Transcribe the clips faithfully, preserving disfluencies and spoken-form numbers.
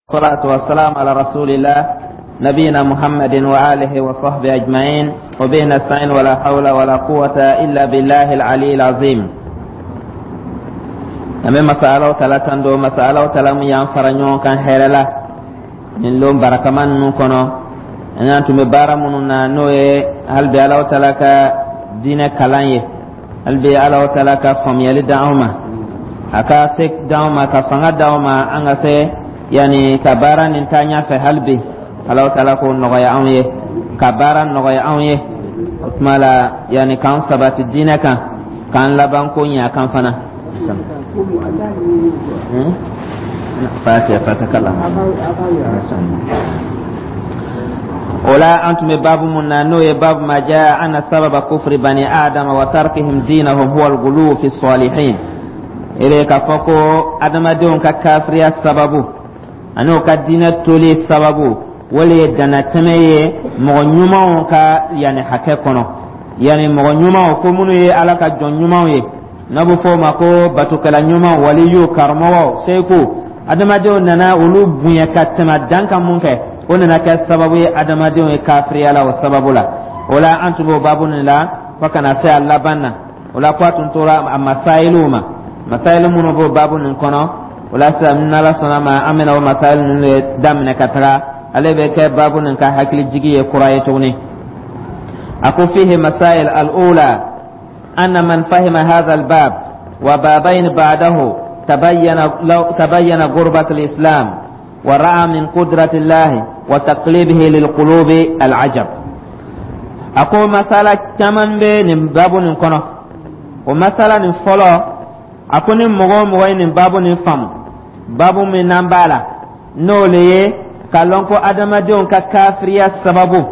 والصلاة والسلام على رسول الله نبينا محمد وآله وصحبه أجمعين وبه نستعين ولا حول ولا قوة إلا بالله العلي العظيم. An bɛ masa Alahu Taala tando, masa Alahu Taala min y'an fara ɲɔgɔn kan hɛrɛ la nin lon barakama ninnu kɔnɔ. An y'an tun bɛ baara minnu na, n'o ye hali bi Alahu Taala ka diinɛ kalan ye, hali bi Alahu Taala ka faamuyali d'anw ma, a ka se d'anw ma, ka fanga d'anw ma, an ka se yanni ka baara nin taa ɲɛfɛ. Hali bi Alahu Taala k'o nɔgɔya anw ye, ka baara nɔgɔya anw ye. O tuma la, yanni k'an sabati diinɛ kan, k'an laban ko ɲɛ a kan fana. Fatiha fatakalam. O la, an tun bɛ baabu mun na, n'o ye baabu ma jaa anna sababa kufri bani adama wa tarkihim dinahum huwa al-ghuluw fi salihin, ele k'a fɔ ko adamadenw ka kafiriya sababu ani o ka diinɛ toli sababu, o le ye danatɛmɛ ye mɔgɔ ɲumanw ka yanni hakɛ kɔnɔ, yanni mɔgɔ ɲumanw ko minnu ye Ala ka jɔn ɲumanw ye, n'a bɛ fɔ o ma ko batokɛla ɲuman, waliyu, karamɔgɔ, seku. Adamadenw nana olu bonya ka tɛmɛ dan kan mun kɛ, o nana kɛ sababu ye adamadenw ye kafiriya la o sababu la. O la, an tun b'o baabu nin la fo ka na se a laban na. O la, ko a tun tora a masayiliw ma, masayili minnu b'o baabu nin kɔnɔ. O la sisan, n'Ala sɔnna ma, an bɛna o masayili ninnu de daminɛ ka taga. Ale bɛ kɛ baabu nin ka hakilijigi ye kura ye tuguni. A ko fihi masail al-ula أن من فهم هذا الباب وبابين بعده تبين, تبين غربة الإسلام ورأى من قدرة الله وتقليبه للقلوب العجب. أقول مسألة كمان بين باب نكونو ومسألة نفولو. أقول مغو مغو nin babu nin faamu, babu min n'an b'a la, n'o le ye k'a lɔn ko adamadenw ka kafiriya sababu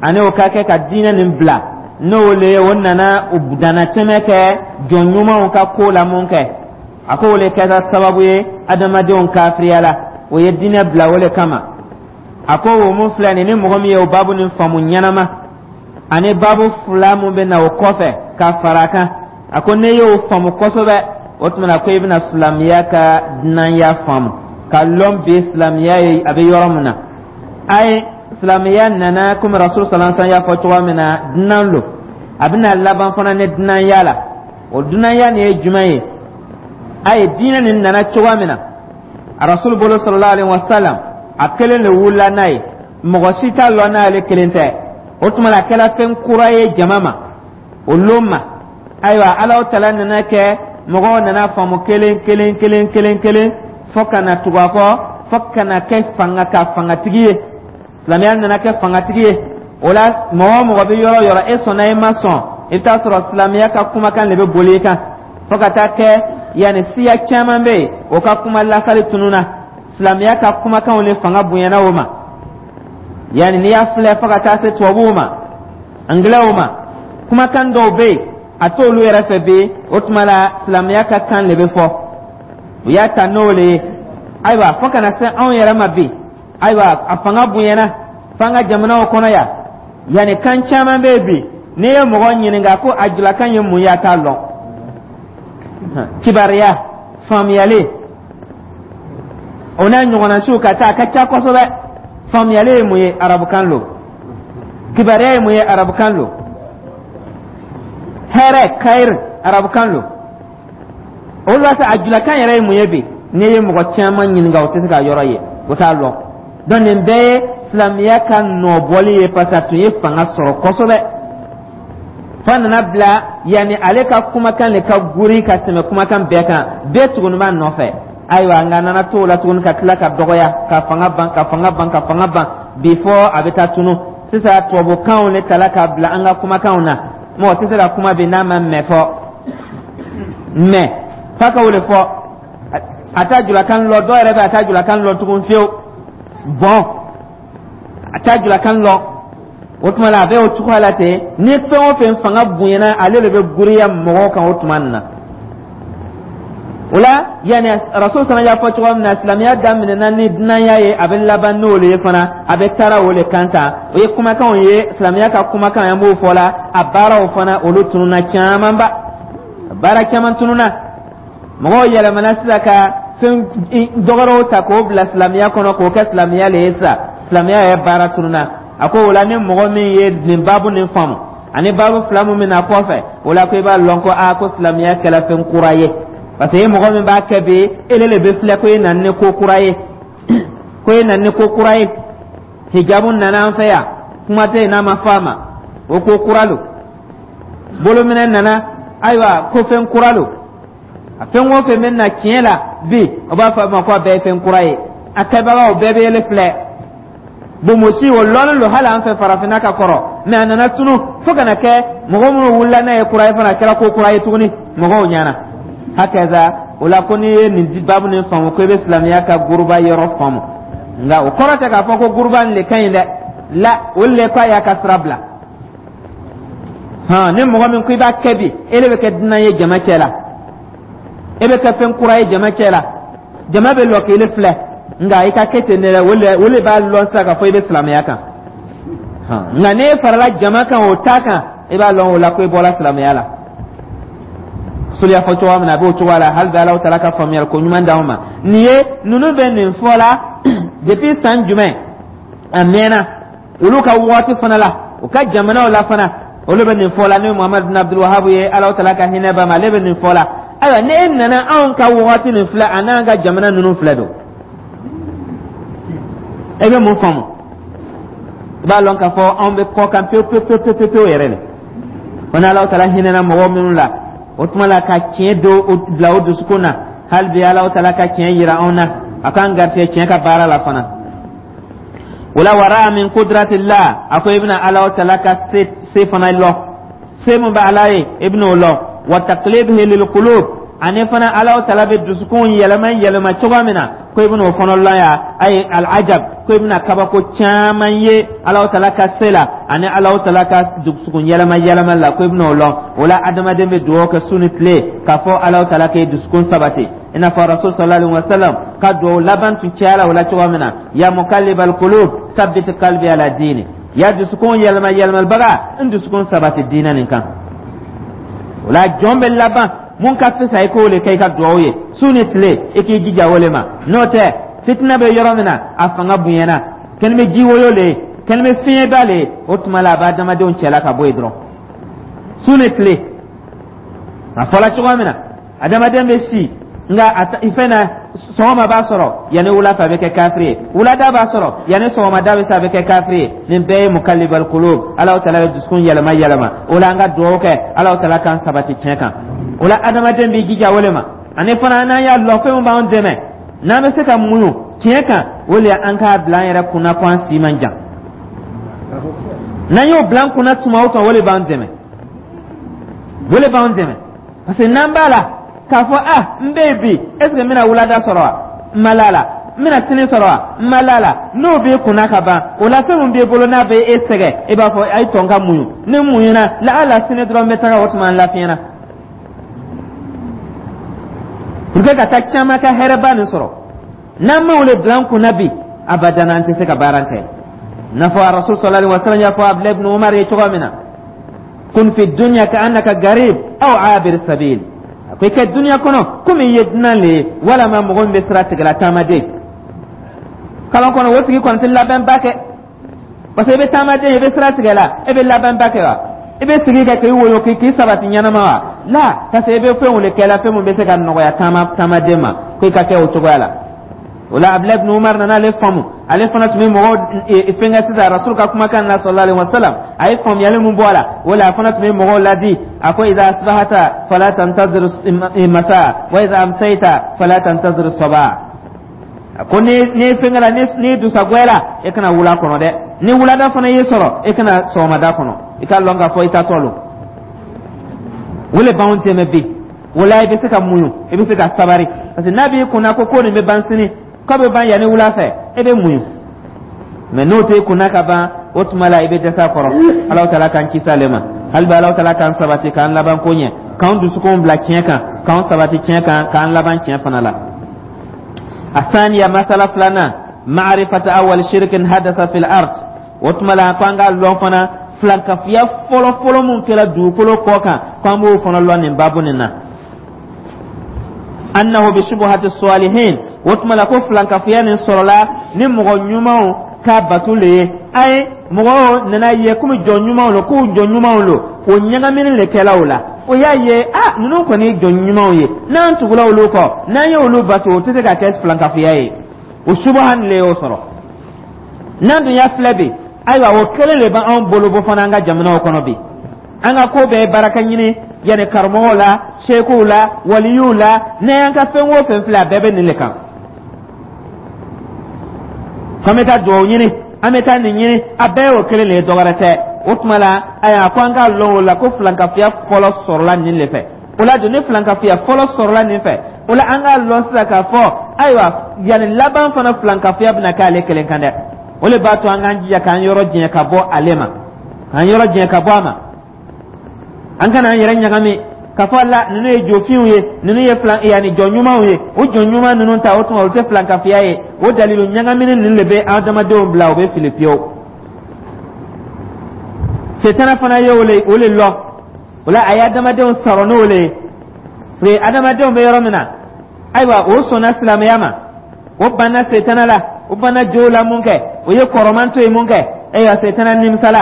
ani o ka kɛ ka diinɛ nin bila, n'o le ye o nana u danatɛmɛ kɛ jɔn ɲumanw ka ko la mun kɛ, a ko o le kɛra sababu ye adamadenw kafiriya la, o ye diinɛ bila o le kama. A ko o mun filɛ nin, ni mɔgɔ min ye o babu nin faamu ɲɛnama ani babu fila mun bɛ na o kɔfɛ ka fara a kan, a ko ne y'o faamu kosɛbɛ, o tuma na ko i bɛna silamɛya ka dunanya faamu, ka lɔn bi silamɛya ye a bɛ yɔrɔ min na. A ye silamɛya nana komi Rasul sallallahu alaihi wasallam y'a fɔ cogoya min na, dunan lo, a bɛna laban fana ni dunanya la. O dunanya nin ye jumɛn ye? A ye diinɛ nin nana cogoya min na a Rasul bolo sallallahu alaihi wasallam, a kelen de wulila n'a ye, mɔgɔ si t'a lɔn n'ale kelen tɛ. O tuma na, a kɛra fɛn kura ye jama ma o lon ma. Ayiwa, Alahu Taala nana kɛ mɔgɔw nana faamu kelen kelen kelen kelen kelen fo ka na tugu a kɔ, fo ka na kɛ fanga ka fangatigi ye. Silamɛya nana kɛ fangatigi ye. O la, mɔgɔ o mɔgɔ bɛ yɔrɔ o yɔrɔ, e sɔnna, e ma sɔn, i bɛ taa sɔrɔ silamɛya ka kumakan de bɛ boli i kan, fo ka taa kɛ yanni siya caman bɛ yen, o ka kuma lasali tununna, silamɛya ka kumakanw ni fanga bonyana o ma. Yanni n'i y'a filɛ fo ka taa se tubabuw ma, angilɛw ma, kumakan dɔw bɛ yen, a t'olu yɛrɛ fɛ bi. O tuma la, silamɛya ka kan de bɛ fɔ, u y'a ta n'o le ye. Ayiwa, fo ka na se anw yɛrɛ ma bi, ayiwa, a fanga bonyana f'an ka jamanaw kɔnɔ yan. Yanni kan caman bɛ yen bi, n'i ye mɔgɔ ɲininka ko a julakan ye mun ye, a t'a lɔn. Kibaruya faamuyali, o n'a ɲɔgɔnna siw ka taa, a ka ca kosɛbɛ. Faamuyali ye mun ye? Arabukan lo. Kibaruya ye mun ye? Arabukan lo. Hɛrɛ, kayiri, arabukan lo. Olu b'a fɛ a julakan yɛrɛ ye mun ye bi, n'i ye mɔgɔ caman ɲininka, o tɛ se k'a yɔrɔ ye, o t'a lɔn. Donc nin bɛɛ ye silamɛya ka nɔbɔli ye, parce que a tun ye fanga sɔrɔ kosɛbɛ f'a nana bila yanni ale ka kumakan de ka guri ka tɛmɛ kumakan bɛɛ kan, bɛɛ tuguni b'a nɔfɛ. Ayiwa, nka a nana to o la tuguni ka tila ka dɔgɔya, ka fanga ban, ka fanga ban, ka fanga ban bi, fɔ a bɛ taa tunu. Sisan tubabukanw de tala ka bila an ka kumakanw na. Mɔgɔ tɛ se ka kuma bi n'a ma mɛ fɔ mɛ, f'a ka o de fɔ. A t'a julakan lɔ, dɔw yɛrɛ bɛ a t'a julakan lɔ tugun fiyewu. Bɔn, a t'a julakan lɔ. O tuma la, a bɛ o cogoya la ten. Ni fɛn o fɛn fanga bonyana, ale de bɛ giriya mɔgɔw kan o tuma nin na. O la, yanni Rasul fana y'a fɔ cogoya min na, silamɛya daminɛna ni dunanya ye, a bɛ laban n'o le ye fana, a bɛ taara o le kan tan. O ye kumakanw ye, silamɛya ka kumakan an b'o fɔ la. A baaraw fana, olu tununna camanba, baara caman tununna. Mɔgɔw yɛlɛmana sisan ka Fɛn dɔgɔrɛw ta k'o bila silamɛya kɔnɔ, k'o kɛ silamɛya le ye sisan, silamɛya yɛrɛ baara tununa. A ko o la, ni mɔgɔ min ye nin baabu nin faamu ani baabu fila mun bɛna kɔfɛ, o la ko i b'a lɔn ko aa, ko silamɛya kɛla fɛn kura ye, parce que mɔgɔ min b'a kɛ bi, ele le bɛ filɛ ko e nana ni ko kura ye, ko e nana ni ko kura ye. Hijabu nana an fɛ yan, kuma tɛ yen n'a ma fɔ a ma, o ko kura lo. Bolominɛ nana, ayiwa, ko fɛn kura lo. A fɛn o fɛn bɛ na tiɲɛ la bi, o b'a fɔ a ma ko a bɛɛ ye fɛn kura ye. A kɛbagaw bɛɛ bɛ yɛlɛ filɛ. Bonbosi, o lɔnnen don hali an fɛ farafinna ka kɔrɔ, mɛ a nana tunu fo ka na kɛ mɔgɔ minnu wulila n'a ye kura ye fana, a kɛra ko kura ye tuguni mɔgɔw ɲɛna. Hakaza o la, ko n'i ye nin baabu nin faamu, ko i bɛ silamɛya ka guruba yɔrɔ faamu. Nka o kɔrɔ tɛ k'a fɔ ko guruba nin le ka ɲi dɛ. La, o le ko a y'a ka sira bila hɔn. Ni mɔgɔ min ko i b'a kɛ bi, e de bɛ kɛ dunan ye jama cɛ la, e bɛ kɛ fɛn kura ye jama cɛ la, jama bɛ lɔ k'i filɛ. Nka i ka kɛ ten dɛ, o le o le b'a lɔn sisan k'a fɔ i bɛ silamɛya kan. Nka n'e farala jama kan, o ta kan, i b'a lɔn o la ko i bɔra silamɛya la. Soli y'a fɔ cogoya min na, a b'o cogoya la. Hali bi, Alahu taala ka faamuyali ko ɲuman d'anw ma. Nin ye ninnu bɛ nin fɔ la depuis san jumɛn? A mɛnna olu ka waati fana la, u ka jamanaw la fana, olu bɛ nin fɔ la. Ni Muhamadu bin Abdul Wahab ye, Alahu taala ka hinɛ ba ma, ale bɛ nin fɔ la. Ayiwa, ni e nana anw ka waati nin filɛ, a n'an ka jamana ninnu filɛ don, e bɛ mun faamu? I b'a lɔn k'a fɔ anw bɛ kɔ kan pewu pewu pewu pewu pewu yɛrɛ de. Ko ni Alahu taala hinɛna mɔgɔ minnu la, o tuma la ka tiɲɛ do bila o dusukun na. Hali bi, Alahu taala ka tiɲɛ yira anw na, a k'an garisɛgɛ tiɲɛ ka baara la fana. O la, wara min kudratillah, a ko i bɛna Alahu taala ka se se fana lɔ, se mun bɛ Ala ye, i bɛna o lɔ. Wa taqlibihi lil qulub, ani fana Alahu taala bɛ dusukun yɛlɛma yɛlɛma cogoya min na, ko i bɛna o fana lɔn yan. Ayi, alajab, ko i bɛna kabako caman ye Alahu taala ka se la ani Alahu taala ka dusukun yɛlɛma yɛlɛma la, ko i bɛna o lɔn. O la, adamaden bɛ dugawu kɛ su ni tile k'a fɔ Alahu taala k'e dusukun sabati, i n'a fɔ Rasul sallallahu alaihi wa sallam ka dugawu laban tun cayala o la cogoya min na: ya muqallibal qulub, sabbit qalbi ala dini. Ya dusukun yɛlɛma yɛlɛmalibaga, n dusukun sabati diinɛ nin kan. O la, jɔn bɛ laban mun ka fisa, i k'o le kɛ i ka dugawu ye su ni tile, i k'i jija o le ma. N'o tɛ, fitinɛ bɛ yɔrɔ min na, a fanga bonyana, kɛnɛ bɛ ji woyo le ye, kɛnɛ bɛ fiɲɛba le ye, o tuma la a b'a adamadenw cɛla ka bɔ yen dɔrɔn su ni tile. A fɔla cogoya min na, adamaden bɛ si, nka a fɛn na, sɔgɔma b'a sɔrɔ yanni wula fɛ, a bɛ kɛ kafiri ye. Wulada b'a sɔrɔ yanni sɔgɔmada bɛ se, a bɛ kɛ kafiri ye. Nin bɛɛ ye mukalibal kulub, Alahu taala bɛ dusukun yɛlɛma yɛlɛma. O la, an ka dugawu kɛ, Alahu taala k'an sabati tiɲɛ kan. O la, adamaden b'i jija o le ma. Ani fana, n'an y'a lɔn fɛn min b'an dɛmɛ n'an bɛ se ka muɲu tiɲɛ kan, o le an k'a bila an yɛrɛ kunna ko an si man jan. N'an y'o bila an kunna tuma o tuma, o le b'an dɛmɛ, o le b'an dɛmɛ, parce que n'an b'a la k'a fɔ ah, n bɛ yen bi, est ce que n bɛna wulada sɔrɔ wa? N ma la la, n bɛna sini sɔrɔ wa? N ma la la. N'o b'i kunna ka ban, o la fɛn min b'i bolo n'a bɛ e sɛgɛn, e b'a fɔ a ye tɔn ka muɲu. Ni muɲuna la, ala sini dɔrɔn n bɛ taga, o tuma n lafiyɛna pour que ka taa caman ka hɛrɛba nin sɔrɔ. N'an m'o le bila an kunna bi, abadan an tɛ se ka baara kɛ. N'a fɔ Rasul sallallahu alaihi wa sallam y'a fɔ Abdulayi ibn Umar ye cogoya min na: kun fi dunya ka annaka garib aw abir sabil. A ko i kɛ duniya kɔnɔ komi i ye dunan le ye, walama mɔgɔ min bɛ sira tigɛla, taamaden kalan kɔnɔ. O tigi kɔni tɛ labɛnba kɛ, parce que i bɛ taamaden, i bɛ sira tigɛ la, e bɛ labɛnba kɛ wa? I bɛ sigi kɛ k'i woyo k'i k'i sabati ɲɛnama wa? La, parce que i bɛ fɛnw de kɛ la, fɛn min bɛ se ka nɔgɔya taama taamaden ma, ko i ka kɛ o cogoya la. O la, Abdulayi ibn Umar nana ale faamu, ale fana tun bɛ mɔgɔw fɛnkɛ sisan Rasul ka kumakan na sallallahu alaihi wa sallam. A ye faamuyali mun bɔ a la, o la a fana tun bɛ mɔgɔw ladi. A ko: idha asbahata fala tantazir masa, wa idha amsayta fala tantazir sabah. A ko ni ni fɛnkɛ la, ni ni dusagwɛla, e kana wula kɔnɔ dɛ. Ni wulada fana y'i sɔrɔ, e kana sɔgɔmada kɔnɔ. I ka lɔn k'a fɔ i taatɔ lo. O le b'anw dɛmɛ bi. O la, i bɛ se ka muɲu, i bɛ se ka sabari, parce que n'a b'i kunna ko ko nin bɛ ban sini, k'a bɛ ban yanni wula fɛ, e bɛ muɲu. Mɛ n'o t'e kunna ka ban, o tuma la i bɛ dɛsɛ a kɔrɔ. Alahu taala k'an kisi ale ma. Hali bi, Alahu taala k'an sabati, k'an laban ko ɲɛ, k'an dusukun bila tiɲɛ kan, k'an sabati tiɲɛ kan, k'an laban tiɲɛ fana la. Asaniya, masala filanan: ma'rifata awwal shirkin hadasa fil ard. O tuma la, ko an k'a lɔn fana filankafiya fɔlɔ fɔlɔ mun kɛra dugukolo kɔ kan, ko an b'o fana lɔn nin baabu nin na. Annahu bi shubuhati salihin. O tuma la, ko filankafoya nin sɔrɔla ni mɔgɔ ɲumanw ka bato le ye. Ayi, mɔgɔw nana ye komi jɔn ɲumanw lo, k'u jɔn ɲumanw lo, o ɲagamini le kɛla o la. O y'a ye a, ninnu kɔni ye jɔn ɲumanw ye, n'an tugula olu kɔ, n'an ye olu bato, o tɛ se ka kɛ filankafoya ye. O subuha nin le y'o sɔrɔ. N'an dun y'a filɛ bi, ayiwa, o kelen de b'anw bolo bɔ fana an ka jamanaw kɔnɔ bi. An ka ko bɛɛ ye baraka ɲini, yanni karamɔgɔw la, sekuw la, waliyuw la. N'an y'an ka fɛn o fɛn filɛ, a bɛɛ bɛ nin de kan, k'an bɛ taa duwawu ɲini, an bɛ taa nin ɲini, a bɛɛ y'o kelen de ye, dɔwɛrɛ tɛ. O tuma la, ayiwa, ko an k'a lɔn o la ko filankafoya fɔlɔ sɔrɔla nin de fɛ. O la dun, ni filankafoya fɔlɔ sɔrɔla nin fɛ, o la an k'a lɔn sisan k'a fɔ, ayiwa, yanni laban fana, filankafoya bɛna k'ale kelen kan dɛ. O de b'a to an k'an jija k'an yɔrɔ janya ka bɔ ale ma, k'an yɔrɔ janya ka bɔ a ma. An kana an yɛrɛ ɲagami k'a fɔ la ninnu ye jofinw ye, ninnu ye filan, yanni jɔn ɲumanw ye. O jɔn ɲuman ninnu ta, o tuma, olu tɛ filankafoya ye. O dalilu ɲagamini ninnu de bɛ adamadenw bila u bɛ fili pewu. Setana fana ye o le o le lɔ o la, a ye adamadenw sɔrɔ n'o le ye, parce que adamadenw bɛ yɔrɔ min na, ayiwa, o sɔnna silamɛya ma, o banna setana la, o banna jow la. Mun kɛ? O ye kɔrɔman to yen. Mun kɛ? Ayiwa, setana nimisala,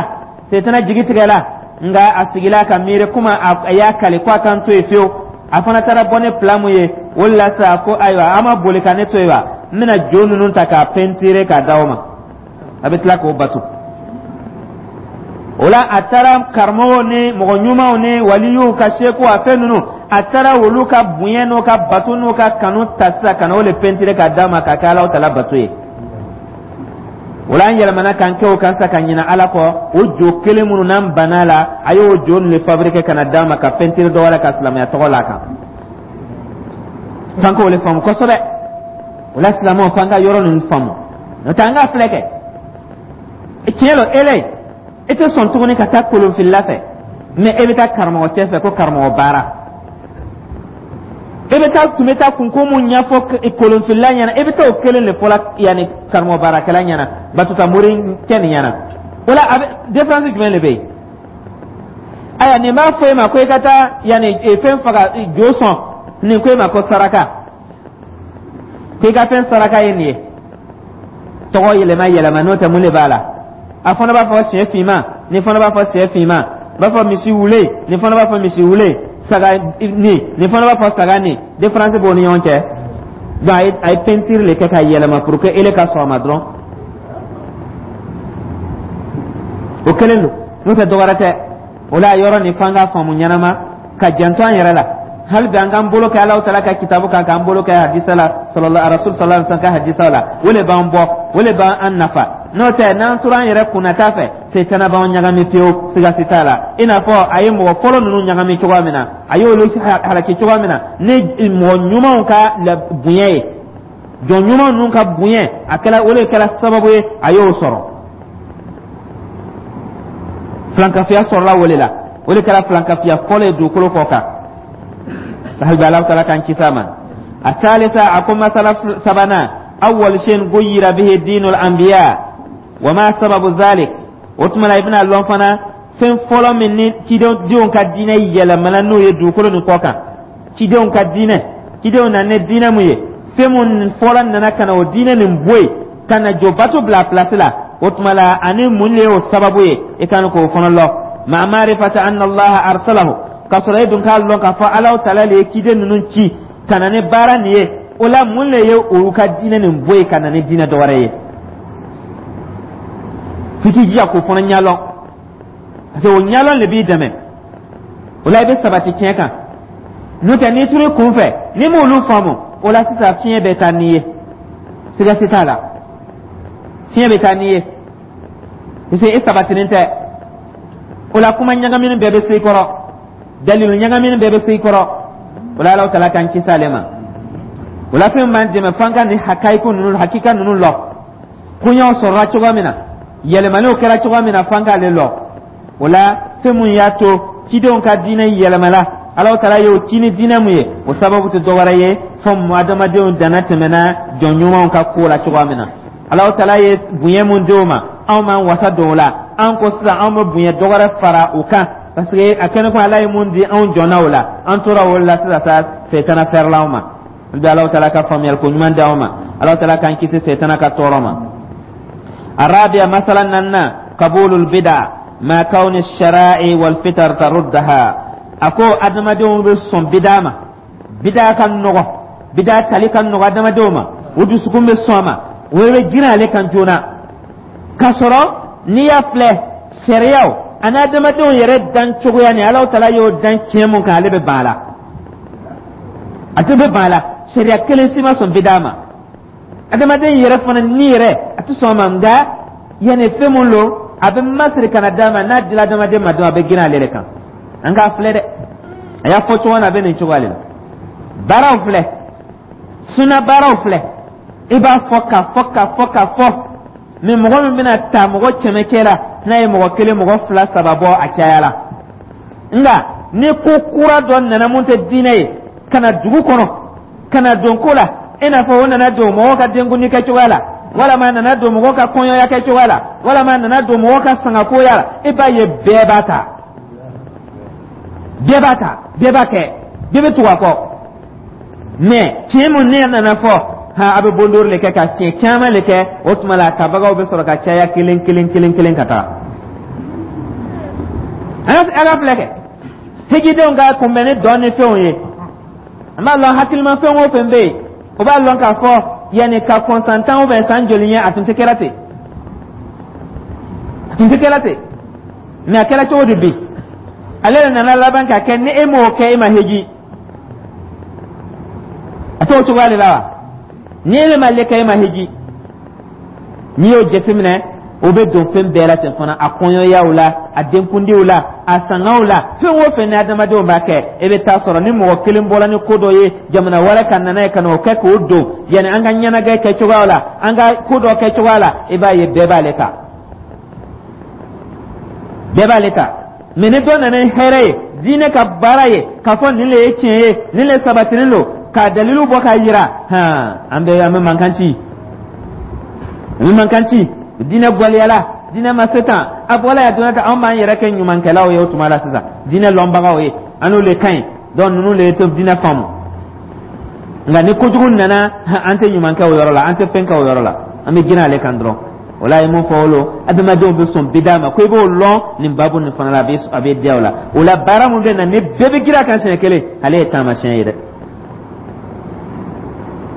setana jigi tigɛla, nka a sigila ka miiri komi a y'a kali ko a kan to yen fiyewu. A fana taara bɔ ni plan mun ye o de la sa, ko ayiwa, an ma boli ka ne to yen wa, n bɛna jo ninnu ta k'a pɛntire k'a d'aw ma, a bɛ tila k'o bato. O la, a taara karamɔgɔw ni mɔgɔ ɲumanw ni waliyuw ka seku, a fɛn ninnu, a taara olu ka bonya n'u ka bato n'u ka kanu ta sisan ka na o le pɛntire k'a d'a ma k'a kɛ Alahu Taala bato ye. O la, an yɛlɛmana k'an kɛ o kan sa, ka ɲinɛ Ala kɔ. O jo kelen minnu n'an banna la, a y'o jo ninnu le fabriquer ka na d'a ma ka pɛntire dɔ wɛrɛ ka silamɛya tɔgɔ la kan. F'an k'o le faamu kosɛbɛ. O la, silamɛw, f'an ka yɔrɔ ninnu faamu, n'o tɛ an k'a filɛ kɛ tiɲɛ lɔ. Ele e tɛ sɔn tuguni ka taa kolonfilila fɛ, mɛ e bɛ taa karamɔgɔ cɛ fɛ ko karamɔgɔ baara. E bɛ taa tun bɛ taa kunko mun ɲɛfɔ kolonfilila ɲɛna, e bɛ taa o kelen de fɔla yanni karamɔgɔ baarakɛla ɲɛna, batuta mori cɛ nin ɲɛna. O la, a bɛ différence jumɛn de bɛ yen? Ayiwa, nin b'a fɔ e ma ko i ka taa yanni fɛn faga, jo sɔn. Nin ko e ma ko saraka, ko i ka fɛn saraka ye nin ye. Tɔgɔ yɛlɛma yɛlɛma, n'o tɛ, mun de b'a la? A fana b'a fɔ sɛ finman, nin fana b'a fɔ sɛ finman, b'a fɔ misi wule, nin fana b'a fɔ misi wule, saga nin, nin fana b'a fɔ saga nin. Différence b'o ni ɲɔgɔn cɛ. Donc a ye a ye peinture le kɛ ka yɛlɛma pour que ele ka sɔn a ma dɔrɔn. O kelen don, n'o tɛ dɔwɛrɛ tɛ. O la, yɔrɔ nin, f'an k'a faamu ɲɛnama ka janto an yɛrɛ la. Hali bi, an k'an bolo kɛ Alahu Taala ka kitabu kan, k'an bolo kɛ hadisa la, sallallahu rasul sallallahu alaihi wasallam ka hadisa la. O le b'an bɔ, o le b'an nafa. N'o tɛ, n'an tora an yɛrɛ kunnata fɛ, setana b'an ɲagami pewu, siga si t'a la. I n'a fɔ a ye mɔgɔ fɔlɔ ninnu ɲagami cogoya min na, a y'olu halaki cogoya min na ni mɔgɔ ɲumanw ka bonya ye, jɔn ɲuman ninnu ka bonya, a kɛra o de kɛra sababu ye a y'o sɔrɔ. Filankafiya sɔrɔla o de la. O de kɛra filankafiya fɔlɔ ye dugukolo kɔ kan. Hali bi, Ala taala k'an kisi a ma. A salisa, a ko masala sabanan: awwal shay'in ghayyira bihi dinul anbiya wa ma sababu zalik. O tuma la, i bɛna lɔn fana fɛn fɔlɔ min ni cidenw ka diinɛ yɛlɛmana n'o ye dugukolo nin kɔ kan. Cidenw ka diinɛ, cidenw nana ni diinɛ mun ye, fɛn mun fɔlɔ nana ka na o diinɛ nin bɔ yen ka na jo bato bila a place la, o tuma la, ani mun de y'o sababu ye, i kan k'o fana lɔn. Ma ma'rifata anna Allaha arsalahu, k'a sɔrɔ e dun k'a lɔn k'a fɔ Alahu Taala de ye ciden ninnu ci ka na ni baara nin ye. O la, mun de ye olu ka diinɛ nin bɔ yen ka na ni diinɛ dɔ wɛrɛ ye? F'i k'i jija k'o fana ɲɛlɔn, parce que o ɲɛlɔn de b'i dɛmɛ. O la, i bɛ sabati tiɲɛ kan. N'o tɛ, n'i turu i kun fɛ, n'i m'olu faamu, o la sisan, fiɲɛ bɛ taa n'i ye, siga si t'a la, fiɲɛ bɛ taa n'i ye, parce que e sabatinen tɛ. O la, kuma ɲagamini bɛɛ bɛ se i kɔrɔ, dalilu ɲagamini bɛɛ bɛ se i kɔrɔ. O la, Alahu Taala k'an kisi ale ma. O la, fɛn b'an dɛmɛ f'an ka nin hakayiku ninnu, hakika ninnu lɔ. Koɲɛw sɔrɔla cogoya min na, yɛlɛmaniw kɛra cogoya min na, f'an k'ale lɔ. O la, fɛn mun y'a to cidenw ka diinɛ yɛlɛmala, Alahu Taala y'o ci ni diinɛ mun ye, o sababu tɛ dɔwɛrɛ ye fɔ adamadenw danna tɛmɛna jɔn ɲumanw ka ko la cogoya min na. Alahu Taala ye bonya mun di o ma, anw m'an wasa don o la. An ko sisan anw bɛ bonya dɔ wɛrɛ fara o kan, parce que a kɛnɛ ko Ala ye mun di, anw jɔnna o la, an tora o la. Sisan sa, setana fɛrɛla anw ma. Bɛ Alahu Taala ka faamuyali ko ɲuman d'aw ma. Alahu Taala k'an kisi setana ka tɔɔrɔ ma. الرابعة masala naaninan قبول البدع مع كون الشرائع والفطر تردها. A ko adamadenw bɛ sɔn bida ma, bida ka nɔgɔ, bida tali ka nɔgɔ adamadenw ma, o dusukun bɛ sɔn a ma, o bɛ girin ale kan joona, k'a sɔrɔ n'i y'a filɛ, sariyaw ani adamadenw yɛrɛ dan cogoya ni Alahu Taala y'o dan tiɲɛ mun kan, ale bɛ ban a la, a tɛ bɛ ban a la. Sariya kelen si ma sɔn bida ma. Adamaden yɛrɛ fana ni yɛrɛ a tɛ sɔn a ma, nka yanni fɛn mun lo, a bɛ masiri ka na d'a ma. N'a dila adamaden ma dɔrɔn, a bɛ girin ale de kan. An k'a filɛ dɛ, a y'a fɔ cogo min na, a bɛ nin cogoya de la. Baaraw filɛ, suna baaraw filɛ, i b'a fɔ k'a fɔ k'a fɔ k'a fɔ, mɛ mɔgɔ min bɛna ta mɔgɔ kɛmɛ cɛ la, n'a ye mɔgɔ kelen, mɔgɔ fila, saba bɔ, a caya la. Nka ni ko kura dɔ nana mun tɛ diinɛ ye ka na dugu kɔnɔ, ka na don ko la, i n'a fɔ o nana don mɔgɔw ka denkundi kɛcogoya la, walama a nana don mɔgɔw ka kɔɲɔya kɛcogoya la, walama a nana don mɔgɔw ka sangakoya la, i b'a ye bɛɛ b'a ta, bɛɛ b'a ta, bɛɛ b'a kɛ, bɛɛ bɛ tugu a kɔ. Mɛ tiɲɛ mun ne nana fɔ han, a bɛ bondori le kɛ ka siɲɛ caman le kɛ, o tuma la a tabagaw bɛ sɔrɔ ka caya kelen kelen kelen kelen ka taga. An ka filɛ kɛ hijidenw ka kunbɛn ni dɔn ni fɛnw ye. An b'a lɔn, hakilima fɛn o fɛn bɛ yen, o b'a lɔn k'a fɔ yanni ka kɔn san tan ubiyɛn san joli ɲɛ, a tun tɛ kɛra ten, a tun tɛ kɛra ten. Mɛ a kɛra cogo di bi? Ale de nana laban ka kɛ ni e m'o kɛ, e ma heji. A t'o cogoya de la wa? Ni e ma le kɛ, e ma heji. N'i y'o jateminɛ, o bɛ don fɛn bɛɛ la ten fana, a kɔɲɔyaw la, a denkundiw la, a sangaw la, fɛn o fɛn ni adamadenw b'a kɛ. E bɛ taa sɔrɔ ni mɔgɔ kelen bɔra ni ko dɔ ye jamana wɛrɛ ka nana ye ka na o kɛ k'o don yanni an ka ɲɛnajɛ kɛ cogoya la, an ka ko dɔ kɛ cogoya la, i b'a ye bɛɛ b'ale ta, bɛɛ b'ale ta. Mɛ ni dɔ nana ni hɛrɛ ye, diinɛ ka baara ye, k'a fɔ nin le ye tiɲɛ ye, nin le sabatilen don, k'a dalilu bɔ k'a yira, hɔn, an bɛ an bɛ mankan ci, an bɛ mankan ci. Diinɛ gwaliyala, diinɛ ma se tan, a bɔla yan donna tan. Anw b'an yɛrɛ kɛ ɲumankɛlaw ye o tuma la sisan, diinɛ lɔnbagaw ye, an n'u le ka ɲi. Donc ninnu le tɛ diinɛ faamu. Nka ni kojugu nana, an tɛ ɲuman kɛ o yɔrɔ la, an tɛ fɛn kɛ o yɔrɔ la, an bɛ girin ale kan dɔrɔn. O la, a ye mun fɔ o lo, adamadenw bɛ sɔn bida ma ko i b'o lɔn nin baabu nin fana la, a bɛ a bɛ diya o la. O la, baara mun bɛ na ni bɛɛ bɛ girin a kan siɲɛ kelen, ale ye taamasiyɛn ye dɛ.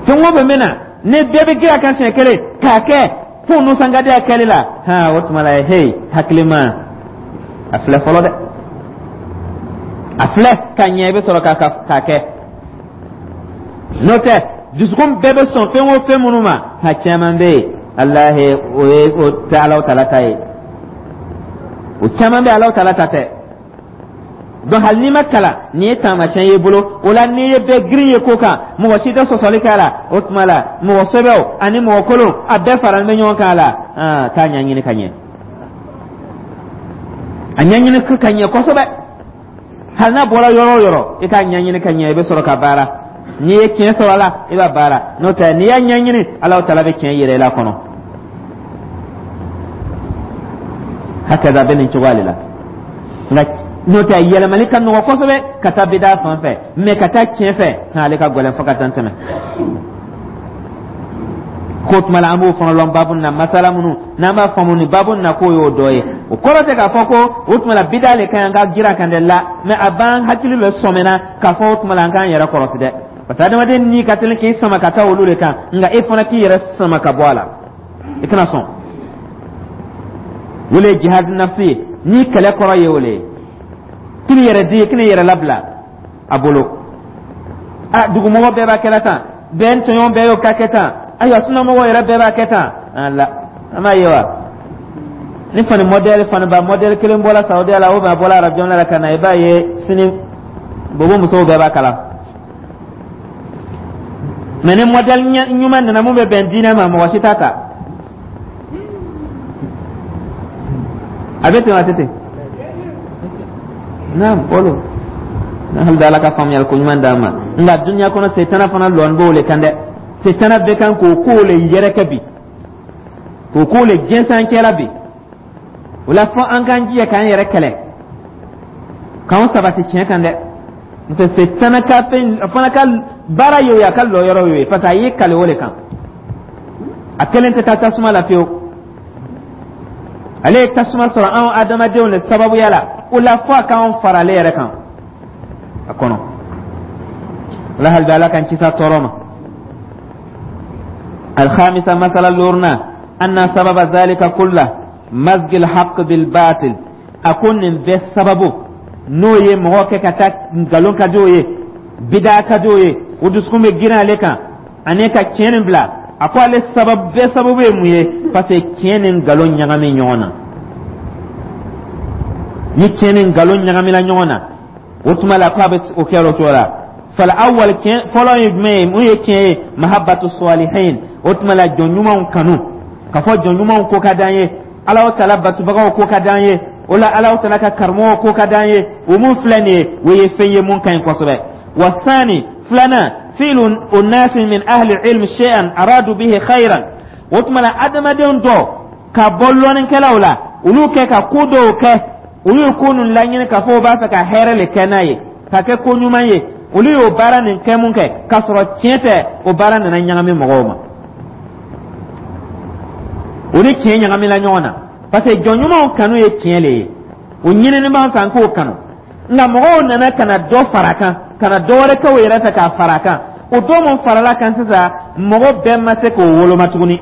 Fɛn o fɛn bɛ na ni bɛɛ bɛ girin a kan siɲɛ kelen k'a kɛ fo nisɔnkadiya kɛli la, han, o tuma la, hey, hakilima, a filɛ fɔlɔ dɛ, a filɛ ka ɲɛ, i bɛ sɔrɔ k'a k'a kɛ. N'o tɛ, dusukun bɛɛ bɛ sɔn fɛn o fɛn minnu ma, ha, caman bɛ yen, alahi, o ye o tɛ Alahu Taala ta ye, o caman bɛ Alahu Taala ta tɛ. Donc hali n'i ma kalan, nin ye taamasiyɛn y'i bolo. O la, n'i ye bɛɛ girin ye ko kan, mɔgɔ si tɛ sɔsɔli kɛ a la, o tuma la mɔgɔ sɛbɛw ani mɔgɔ kolon, a bɛɛ faralen bɛ ɲɔgɔn kan a la. Aa, k'a ɲɛɲini ka ɲɛ, a ɲɛɲini ka ɲɛ kosɛbɛ. Hali n'a bɔra yɔrɔ o yɔrɔ, i k'a ɲɛɲini ka ɲɛ, i bɛ sɔrɔ ka baara. N'i ye tiɲɛ sɔrɔ a la, i b'a baara. N'o tɛ, n'i y'a ɲɛɲini, Alahu Taala bɛ tiɲɛ yɛrɛ i la kɔnɔ. Hakɛda bɛ nin cogoya de la. Nka n'o tɛ, yɛlɛmali ka nɔgɔ kosɛbɛ ka taa bida fan fɛ, mɛ ka taa tiɲɛ fɛ, ale ka gɛlɛn fo ka taa tɛmɛ ko tuma la. An b'o fana lɔn baabu na, masala minnu n'an b'a faamu ni baabu na, k'o y'o dɔ ye. O kɔrɔ tɛ k'a fɔ ko o tuma la bida le ka ɲi, an ka jira kan dɛ la, mɛ a b'an hakili bɛ sɔmɛna k'a fɔ o tuma la an k'an yɛrɛ kɔlɔsi dɛ, parce que adamaden ni ka teli k'i sama ka taa olu de kan. Nka e fana k'i yɛrɛ sama ka bɔ a la, i kana sɔn. O le ye jihad nafsi ye. Ni kɛlɛ kɔrɔ ye o le ye, k'i yɛrɛ di, k'i yɛrɛ labila a bolo. A dugumɔgɔ bɛɛ b'a kɛla tan, bɛɛ tɔɲɔgɔn bɛɛ y'o ka kɛ tan, ayiwa, sunamɔgɔw yɛrɛ bɛɛ b'a kɛ tan. Ala, an b'a ye wa, ni fani mɔdɛli, faniba mɔdɛli kelen bɔra Saudiya la, ou bien a bɔra arabu jamana la ka na, i b'a ye sini bobo musow bɛɛ b'a kala. Mɛ ni mɔdɛli ɲuman nana mun bɛ bɛn diinɛ ma, mɔgɔ si t'a ta. A bɛ ten wa, a tɛ ten? Naam, olu hali da, Ala ka faamuyali ko ɲuman d'an ma. Nka dunuya kɔnɔ, setana fana lɔn b'o le kan dɛ. Setana bɛ kan k'o kow le yɛrɛkɛ bi, k'o kow le jɛnsɛn cɛla bi. O la, fɔ an k'an jija k'an yɛrɛ kɛlɛ, k'anw sabati tiɲɛ kan dɛ. N'o tɛ, setana ka fɛn, a fana ka baara y'o ye, a ka lɔyɔrɔ y'o ye, parce que a y'i kale o de kan. A kelen tɛ taa tasuma la fiyewu. Ale ye tasuma sɔrɔ anw adamadenw de sababuya la. O la, fo a k'anw fara ale yɛrɛ kan a kɔnɔ. Ala hali bɛ Ala k'an kisi a tɔɔrɔ ma. الخامسة, مسألة لورنا, أن سبب ذلك كله مزج الحق بالباطل. A ko nin bɛɛ sababu n'o ye mɔgɔ kɛ ka taa nkalon ka di o ye, bida ka di o ye, o dusukun bɛ girin ale kan ani ka tiɲɛ nin bila. A ko ale sababu bɛɛ sababu ye mun ye? Parce que tiɲɛ ni nkalon ɲagami ɲɔgɔn na. Ni tiɲɛ ni nkalon ɲagamina ɲɔgɔn na, o tuma la, k'a bɛ o kɛ o cogo la. فالأول, tiɲɛ fɔlɔ ye jumɛn ye? Mun ye tiɲɛ ye? محبة الصالحين. O tuma la, jɔn ɲumanw kanu, ka fɔ jɔn ɲumanw ko ka d'an ye, Ala tala batubagaw ko ka d'an ye, o la Ala tala ka karamɔgɔw ko ka d'an ye. O mun filɛ nin ye, o ye fɛn ye mun ka ɲi kosɛbɛ. والثاني, filanan, فعل أناس من أهل العلم شيئا أرادوا به خيرا. O tuma la, adamadenw dɔ ka bɔ lɔnnikɛlaw la, olu kɛ ka ko dɔw kɛ, olu ye ko ninnu laɲini k'a fɔ u b'a fɛ ka hɛrɛ le kɛ n'a ye, ka kɛ ko ɲuman ye. Olu y'o baara nin kɛ mun kɛ k'a sɔrɔ tiɲɛ tɛ, o baara nana ɲagami mɔgɔw ma. O ni tiɲɛ ɲagamina ɲɔgɔn na, parce que jɔn ɲumanw kanu ye tiɲɛ le ye, o ɲinini b'an fɛ an k'o kanu. Nka mɔgɔw nana ka na dɔ fara a kan, ka na dɔ wɛrɛ kɛ o yɛrɛ fɛ k'a fara a kan. O dɔ mun farala kan sisan, mɔgɔ bɛɛ ma se k'o woloma tuguni,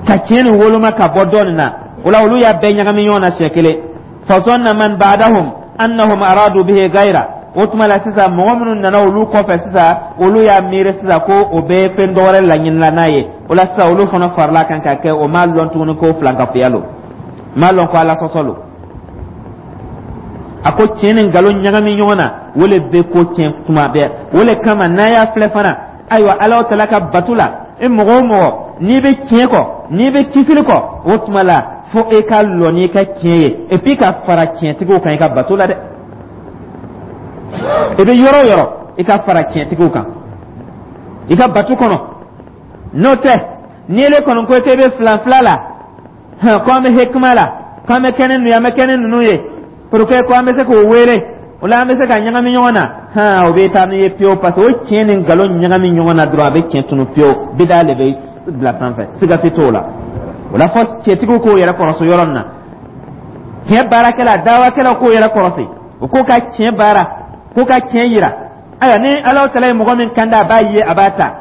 ka tiɲɛ nin woloma ka bɔ dɔ nin na. O la, olu y'a bɛɛ ɲagami ɲɔgɔn na siɲɛ kelen. فظن من بعدهم أنهم أرادوا به غيره. O tuma la sisan, mɔgɔ minnu nana olu kɔfɛ sisan, olu y'a miiri sisan ko o bɛ fɛn dɔ wɛrɛ laɲinila n'a ye. O la sisan, olu fana farala kan ka kɛ. O m'a lɔn tuguni ko filankafoya lo, m'a lɔn ko Ala sɔsɔ lo. A ko tiɲɛ ni nkalon ɲagami ɲɔgɔn na, o le bɛ ko tiɲɛ tuma bɛɛ. O le kama, n'a y'a filɛ fana, ayiwa, Ala tala ka bato la, e mɔgɔ o mɔgɔ n'i bɛ tiɲɛ kɔ, n'i bɛ kisili kɔ, o tuma la, fo e ka lɔ n'i ka tiɲɛ ye, et puis ka fara tiɲɛtigiw kan i ka bato la dɛ. I bɛ yɔrɔ o yɔrɔ, i ka fara tiɲɛtigiw kan i ka bato kɔnɔ. N'o tɛ, n'i ele kɔni ko k'e bɛ filan fila la, ko an bɛ hekima la, ko an bɛ kɛ ni ninnu ye, an bɛ kɛ ni ninnu ye pour que ko an bɛ se k'o wele, o la an bɛ se ka ɲagami ɲɔgɔn na, hɔn, o bɛ taa n'i ye pewu, parce que o tiɲɛ ni nkalon ɲagami ɲɔgɔn na dɔrɔn, a bɛ tiɲɛ tunu pewu, bida de bɛ bila sanfɛ, siga si t'o la. O la, fɔ tiɲɛtigiw k'o yɛrɛ kɔrɔsi yɔrɔ nin na. Tiɲɛ baarakɛla, dawakɛlaw k'o yɛrɛ kɔrɔsi, o k'o ka tiɲɛ baara, k'o ka tiɲɛ yira. Ayiwa, ni Ala tala ye mɔgɔ min kan da, a b'a ye, a b'a ta.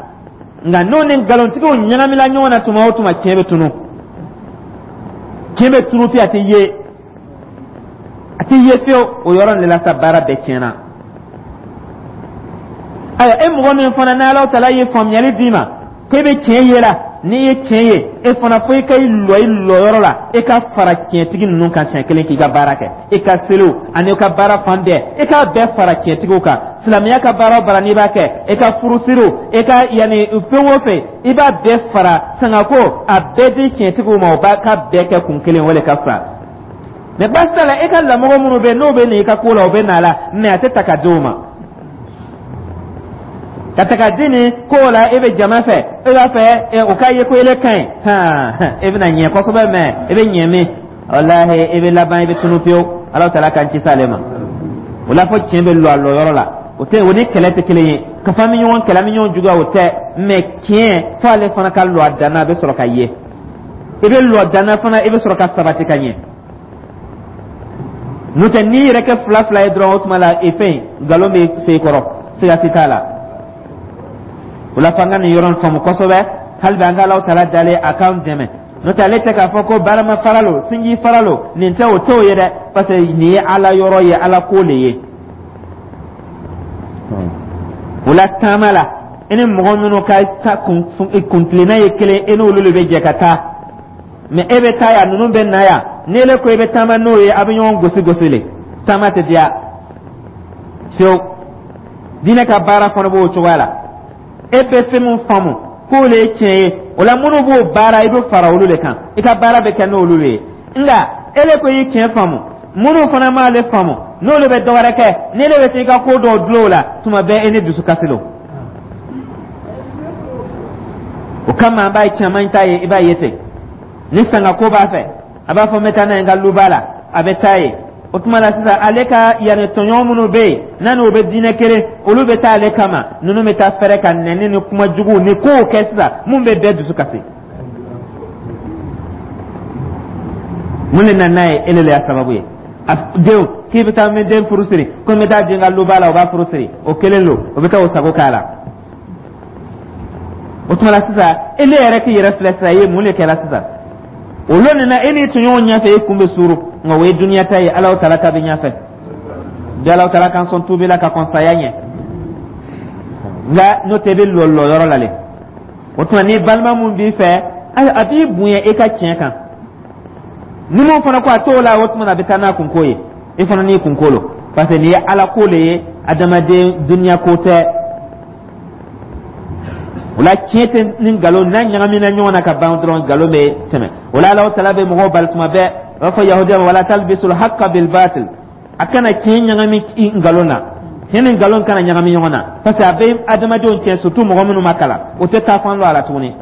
Nka n'o ni nkalontigiw ɲagamina ɲɔgɔn na tuma o tuma, tiɲɛ bɛ tunu, tiɲɛ bɛ tunu fiye, a tɛ ye, a tɛ ye fiyewu. O yɔrɔ de la sa, baara bɛɛ tiɲɛna. Ayiwa, e mɔgɔ min fana n'Ala tala ye faamuyali d'i ma k'e bɛ tiɲɛ ye la, n'i ye tiɲɛ ye, e fana fo i ka i lɔ i lɔyɔrɔ la, e ka fara tiɲɛtigi ninnu kan siɲɛ kelen k'i ka baara kɛ. I ka seliw ani i ka baara fan bɛɛ, i k'a bɛɛ fara tiɲɛtigiw kan. Silamɛya ka baara o baara n'i b'a kɛ, i ka furusiriw, i ka yanni fɛn o fɛn, i b'a bɛɛ fara sangako, a bɛɛ di tiɲɛtigiw ma, o b'a ka bɛɛ kɛ kun kelen, o de ka fisa. Mɛ baasi t'a la, e ka lamɔgɔ minnu bɛ yen, n'o bɛ na i ka ko la, o bɛ na la, mɛ a tɛ ta ka di o ma ka ta ka di nin ko la. E bɛ jama fɛ, e b'a fɛ o k'a ye ko ele ka ɲi, hɔn, e bɛna ɲɛ kosɛbɛ, mɛ e bɛ ɲɛ min, walahi, e bɛ laban, i bɛ tunu pewu. Ala taala k'an kisi ale ma. O la, fɔ tiɲɛ bɛ lɔ a lɔyɔrɔ la. O tɛ, o ni kɛlɛ tɛ kelen ye, ka fɔ an bɛ ɲɔgɔn kɛlɛ, an bɛ ɲɔgɔn juguya, o tɛ. Mɛ tiɲɛ, fo ale fana ka lɔ a dan na, a bɛ sɔrɔ ka ye. I bɛ lɔ dan na fana, i bɛ sɔrɔ ka sabati ka ɲɛ. N'o tɛ, n'i yɛrɛ kɛ fila fila ye dɔrɔn, o tuma la, e fɛn nkalon bɛ se i kɔrɔ, siga si t'a la. O la, f'an ka nin yɔrɔ in faamu kosɛbɛ. Hali bi, an ka Alahu taala dalen a k'an dɛmɛ. N'o tɛ, ale tɛ k'a fɔ ko barama fara lo, sinji fara lo, nin tɛ, o t'o ye dɛ, parce que nin ye Ala yɔrɔ ye, Ala ko le ye. O la, taama la, i ni mɔgɔ minnu ka kuntilenna ye kelen, e n'olu de bɛ jɛ ka taa. Mɛ e bɛ taa yan, ninnu bɛ na yan. N'ele ko i bɛ taama n'o ye, a bɛ ɲɔgɔn gosi gosi le, taama tɛ diya fiyewu. Diinɛ ka baara fana b'o cogoya la. E bɛ fɛn min faamu k'o le ye tiɲɛ ye, o la minnu b'o baara, i bɛ fara olu de kan, i ka baara bɛ kɛ n'olu de ye. Nka ele ko i ye tiɲɛ faamu, minnu fana m'ale faamu, n'olu bɛ dɔ wɛrɛ kɛ, n'ele bɛ taa i ka ko dɔw dulon o la, tuma bɛɛ e ni dusukasi don. O kama, an b'a ye, caman ta ye, i b'a ye ten. Ni sangako b'a fɛ, a b'a fɔ n bɛ taa n'a ye n ka luba la, a bɛ taa ye. O tuma la sisan, ale ka yanni tɔɲɔgɔn minnu bɛ yen n'a n'o bɛ diinɛ kelen, olu bɛ taa ale kama. Ninnu bɛ taa fɛrɛ ka nɛni ni kuma juguw ni kow kɛ sisan mun bɛ bɛɛ dusu kasi. Mun de nana n'a ye? E de y'a sababu ye. A denw k'i bɛ taa min den furu siri, ko n bɛ taa den ka luba la, o b'a furu siri, o kelen don, o bɛ taa o sago k'a la. O tuma la sisan, e ne yɛrɛ k'i yɛrɛ filɛ sisan, i ye mun de kɛra sisan? O lon nin na, e n'i tɔɲɔgɔnw ɲɛfɛ, e kun bɛ suuru, nka o ye duniya ta ye. Alahu taala ta bɛ ɲɛfɛ bi. Alahu taala k'an sɔn tuubi la ka kɔn saya ɲɛ, nka n'o tɛ, i bɛ lɔ lɔ yɔrɔ la le. O tuma, ni balima mun b'i fɛ, a b'i bonya i ka tiɲɛ kan. Ni mun fana ko a t'o la, o tuma na a bɛ taa n'a kunko ye, i fana n'i kunko lo, parce que nin ye ala ko le ye, adamaden duniya ko tɛ. O la, tiɲɛ tɛ ni nkalon n'a ɲagamina ɲɔgɔn na ka ban dɔrɔn, nkalon bɛ tɛmɛ. O la, Alahu taala bɛ mɔgɔw bali tuma bɛɛ, a b'a fɔ yahudiya ma: wala talbisul haqqa bil batil. A kana tiɲɛ ɲagami nkalon na, tiɲɛ ni nkalon kana ɲagami ɲɔgɔn na, parce que a bɛ adamadenw tiɲɛ, surtout mɔgɔ minnu ma kalan, o tɛ taa fan dɔn a la tuguni.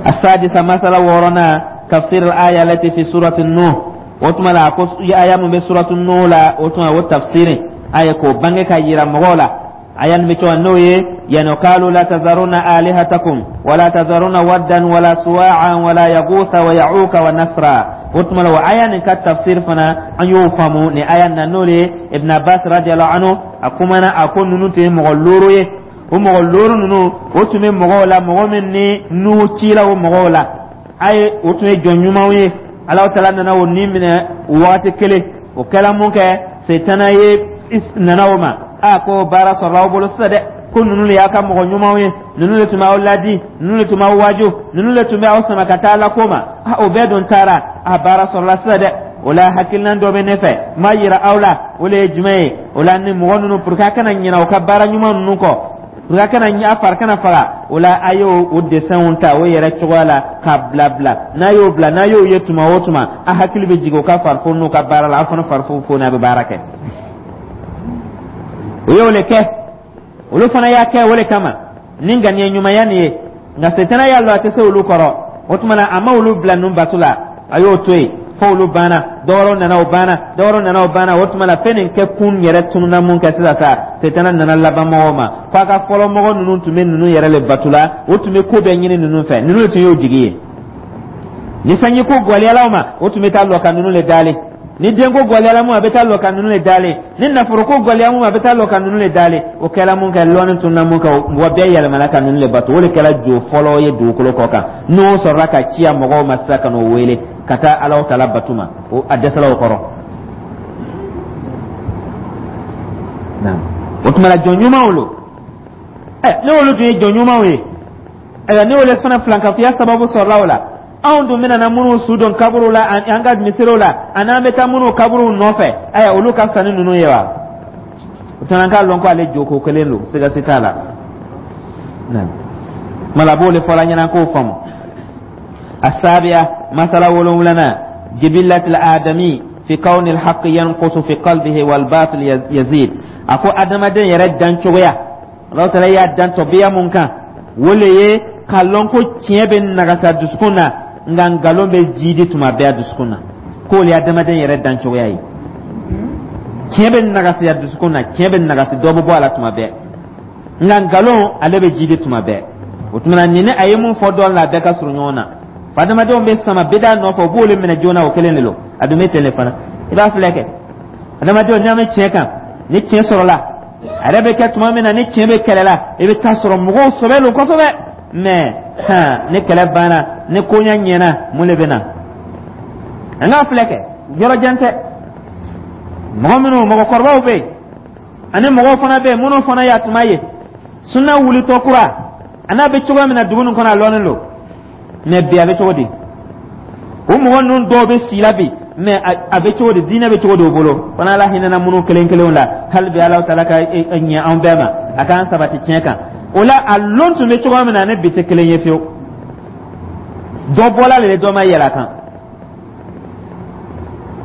السادسة مسألة ورنا تفسير الآية التي في سورة النوح. وتما لا آية من سورة النوح لا وتما والتفسير آية كو بانك يرا مغولا آية متو النوي يعني قالوا لا تذرون آلهتكم ولا تذرون ودا ولا سواعا ولا يغوث ويعوق ونسرا. وتما لو آية كتفسير فنا أن يفهموا ni آية نولي ابن عباس رضي الله عنه أكمنا أكون ننتهي مغلوري. O mɔgɔ looru ninnu, o tun bɛ mɔgɔw la, mɔgɔ min ni Nuhu cila o mɔgɔw la, a ye o tun ye jɔn ɲumanw ye. Alahu taala nana o ni minɛ waati kelen. O kɛla mun kɛ, setana ye nana o ma, a ko baara sɔrɔla aw bolo sisan dɛ, ko ninnu de y'a ka mɔgɔ ɲumanw ye, ninnu de tun b'aw ladi, ninnu de tun b'aw waaju, ninnu de tun bɛ aw sama ka taa Ala ko ma. A o bɛɛ dun taara, a baara sɔrɔla sisan dɛ. O la, hakilina dɔ bɛ ne fɛ n b'a yira aw la, o de ye jumɛn ye? O la, ni mɔgɔ ninnu, pour que a kana ɲinɛ u ka baara ɲuman ninnu kɔ, pour que a kana a fari kana faga, o la a y'o o dessinw ta o yɛrɛ cogoya la k'a bila bila. N'a y'o bila, n'a y'o ye tuma o tuma, a hakili bɛ jigin o ka farifoni n'u ka baara la, aw fana farifoni a bɛ baara kɛ. O y'o le kɛ, olu fana y'a kɛ o le kama ni ŋaniya ɲumanya nin ye. Nka setana y'a lɔn a tɛ se olu kɔrɔ. O tuma na, a ma olu bila ninnu bato la, a y'o to yen fo olu banna, dɔwɛrɛw nana o banna, dɔwɛrɛw nana o banna. O tuma la, fɛn nin kɛ kun yɛrɛ tununa mun kɛ sisan sa, setana nana laban mɔgɔw ma ko a ka fɔlɔ mɔgɔ ninnu tun bɛ ninnu yɛrɛ le bato la, o tun bɛ ko bɛɛ ɲini ninnu fɛ, ninnu de tun y'o jigi ye. Ni sanji ko gɔlɛyala o ma, o tun bɛ taa lɔ ka ninnu le dalen. Ni denko gɔlɛyala mun, a bɛ taa lɔ ka ninnu le dalen. Ni nafolo ko gɔlɛya mun, a bɛ taa lɔ ka ninnu le dalen. O kɛla mun kɛ, lɔnni tununa mun kɛ, mɔgɔ bɛɛ yɛlɛmana ka ninnu le bato. O de kɛra jo fɔlɔ ye dugukolo kɔ kan, n'o sɔrɔla ka ciya mɔgɔw ma sisan ka n'o wele ka taa Alahu taala bato ma, o a dɛsɛla o kɔrɔ. O tuma la, jɔn ɲumanw lo. Ɛ, ne olu tun ye jɔn ɲumanw ye, ayiwa, ne olu fana filankafoya sababu sɔrɔla o la. Anw dun bɛna na minnu su don kaburu la, an ka misiriw la, ani an bɛ taa minnu kaburuw nɔfɛ, ayiwa, olu ka fisa ni ninnu ye wa? O tuma, an k'a lɔn ko ale joko kelen don, siga si t'a la. Kuma la, b'o de fɔla ɲɛna k'o faamu. السابعة مسألة ولولنا جبلة الآدمي في كون الحق ينقص في قلبه والباطل يزيد. أكو آدم دين يرد دان شوية الله تعالى يا دان طبيعة ممكن ولا k'a ko tiɲɛ bɛ nagasa dusukun na, nka nkalon bɛ jiidi tuma bɛɛ a dusukun na, k'o le ye adamaden yɛrɛ dancogoya ye. Tiɲɛ bɛ nagasi a dusukun na, tiɲɛ bɛ nagasi, dɔ bɛ bɔ a la tuma bɛɛ, nka nkalon ale bɛ jiidi tuma bɛɛ. O tuma na, nin ni a ye mun fɔ dɔɔnin la, a bɛɛ ka surun ɲɔgɔn na. Adamadenw bɛ sama bida nɔfɛ, u b'olu minɛ joona, o kelen de don. A dun bɛ ten de fana, i b'a filɛ kɛ, adamadenw n'a bɛ tiɲɛ kan, ni tiɲɛ sɔrɔla, a yɛrɛ bɛ kɛ tuma min na ni tiɲɛ bɛ kɛlɛ la, i bɛ taa sɔrɔ mɔgɔw sɔbɛ don kosɛbɛ. Mɛ han, ni kɛlɛ banna, ni koɲɛ ɲɛna, mun de bɛ na? An k'a filɛ kɛ, yɔrɔ jan tɛ. Mɔgɔ minnu mɔgɔkɔrɔbaw bɛ yen, ani mɔgɔw fana bɛ yen minnu fana y'a tuma ye sunna wulitɔ kura, a n'a bɛ cogoya min na dugu nin kɔnɔ, a lɔnnen don. Mɛ bi a bɛ cogo di? O mɔgɔ ninnu dɔw bɛ si la bi, mɛ a bɛ cogo di? Diinɛ bɛ cogo di o bolo fana? Ala hinɛna minnu kelen kelenw la, hali bi Ala taala ka ɲɛ anw bɛɛ ma, a k'an sabati tiɲɛ kan. O la, a lon tun bɛ cogoya min na, ne bi tɛ kelen ye fiyewu. Dɔ bɔla le, dɔ ma yɛlɛ a kan.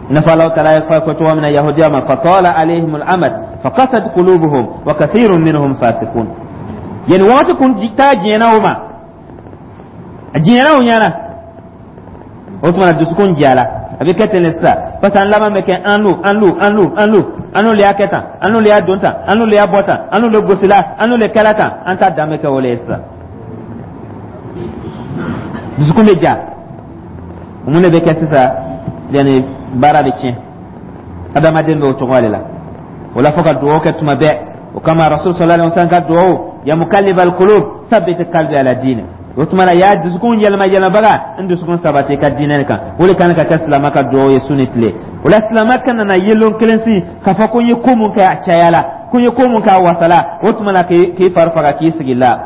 I n'a fɔ Ala taala ye fɔ cogoya min na yahudiya ma: fatala alayhim al-amad faqasat qulubuhum wa kathirun minhum fasiqun. Yani wagati kun taa diɲɛna o ma, a diɲɛna o ɲɛna. O tuma na dusukun jala, a bɛ kɛ ten de sisan, parce que an laban bɛ kɛ an lu, an lu, an lu, an lu, an n'olu y'a kɛ tan, an n'olu y'a don tan, an n'olu y'a bɔ tan, an n'olu gosila, an n'olu kɛla tan, an ta dan bɛ kɛ o le ye sisan. Dusukun bɛ ja. Mun de bɛ kɛ sisan? Yani baara bɛ tiɲɛ. Adamaden bɛ o cogoya de la. O la, fo ka dugawu kɛ tuma bɛɛ. O kama Rasul sallallahu alaihi wasallam ka dugawu: ya muqallibal qulub, sabbit qalbi ala dinik. O tuma na, ya dusukun yɛlɛma yɛlɛmabaga, n dusukun sabati i ka diinɛ kan. O de kan ka kɛ silama ka dugawu ye su ni tile. O la, silama kana na yelon kelen si k'a fɔ ko n ye ko mun kɛ, a caya la, ko n ye ko mun kɛ, a wasala. O tuma na, k'i fari faga k'i sigi la.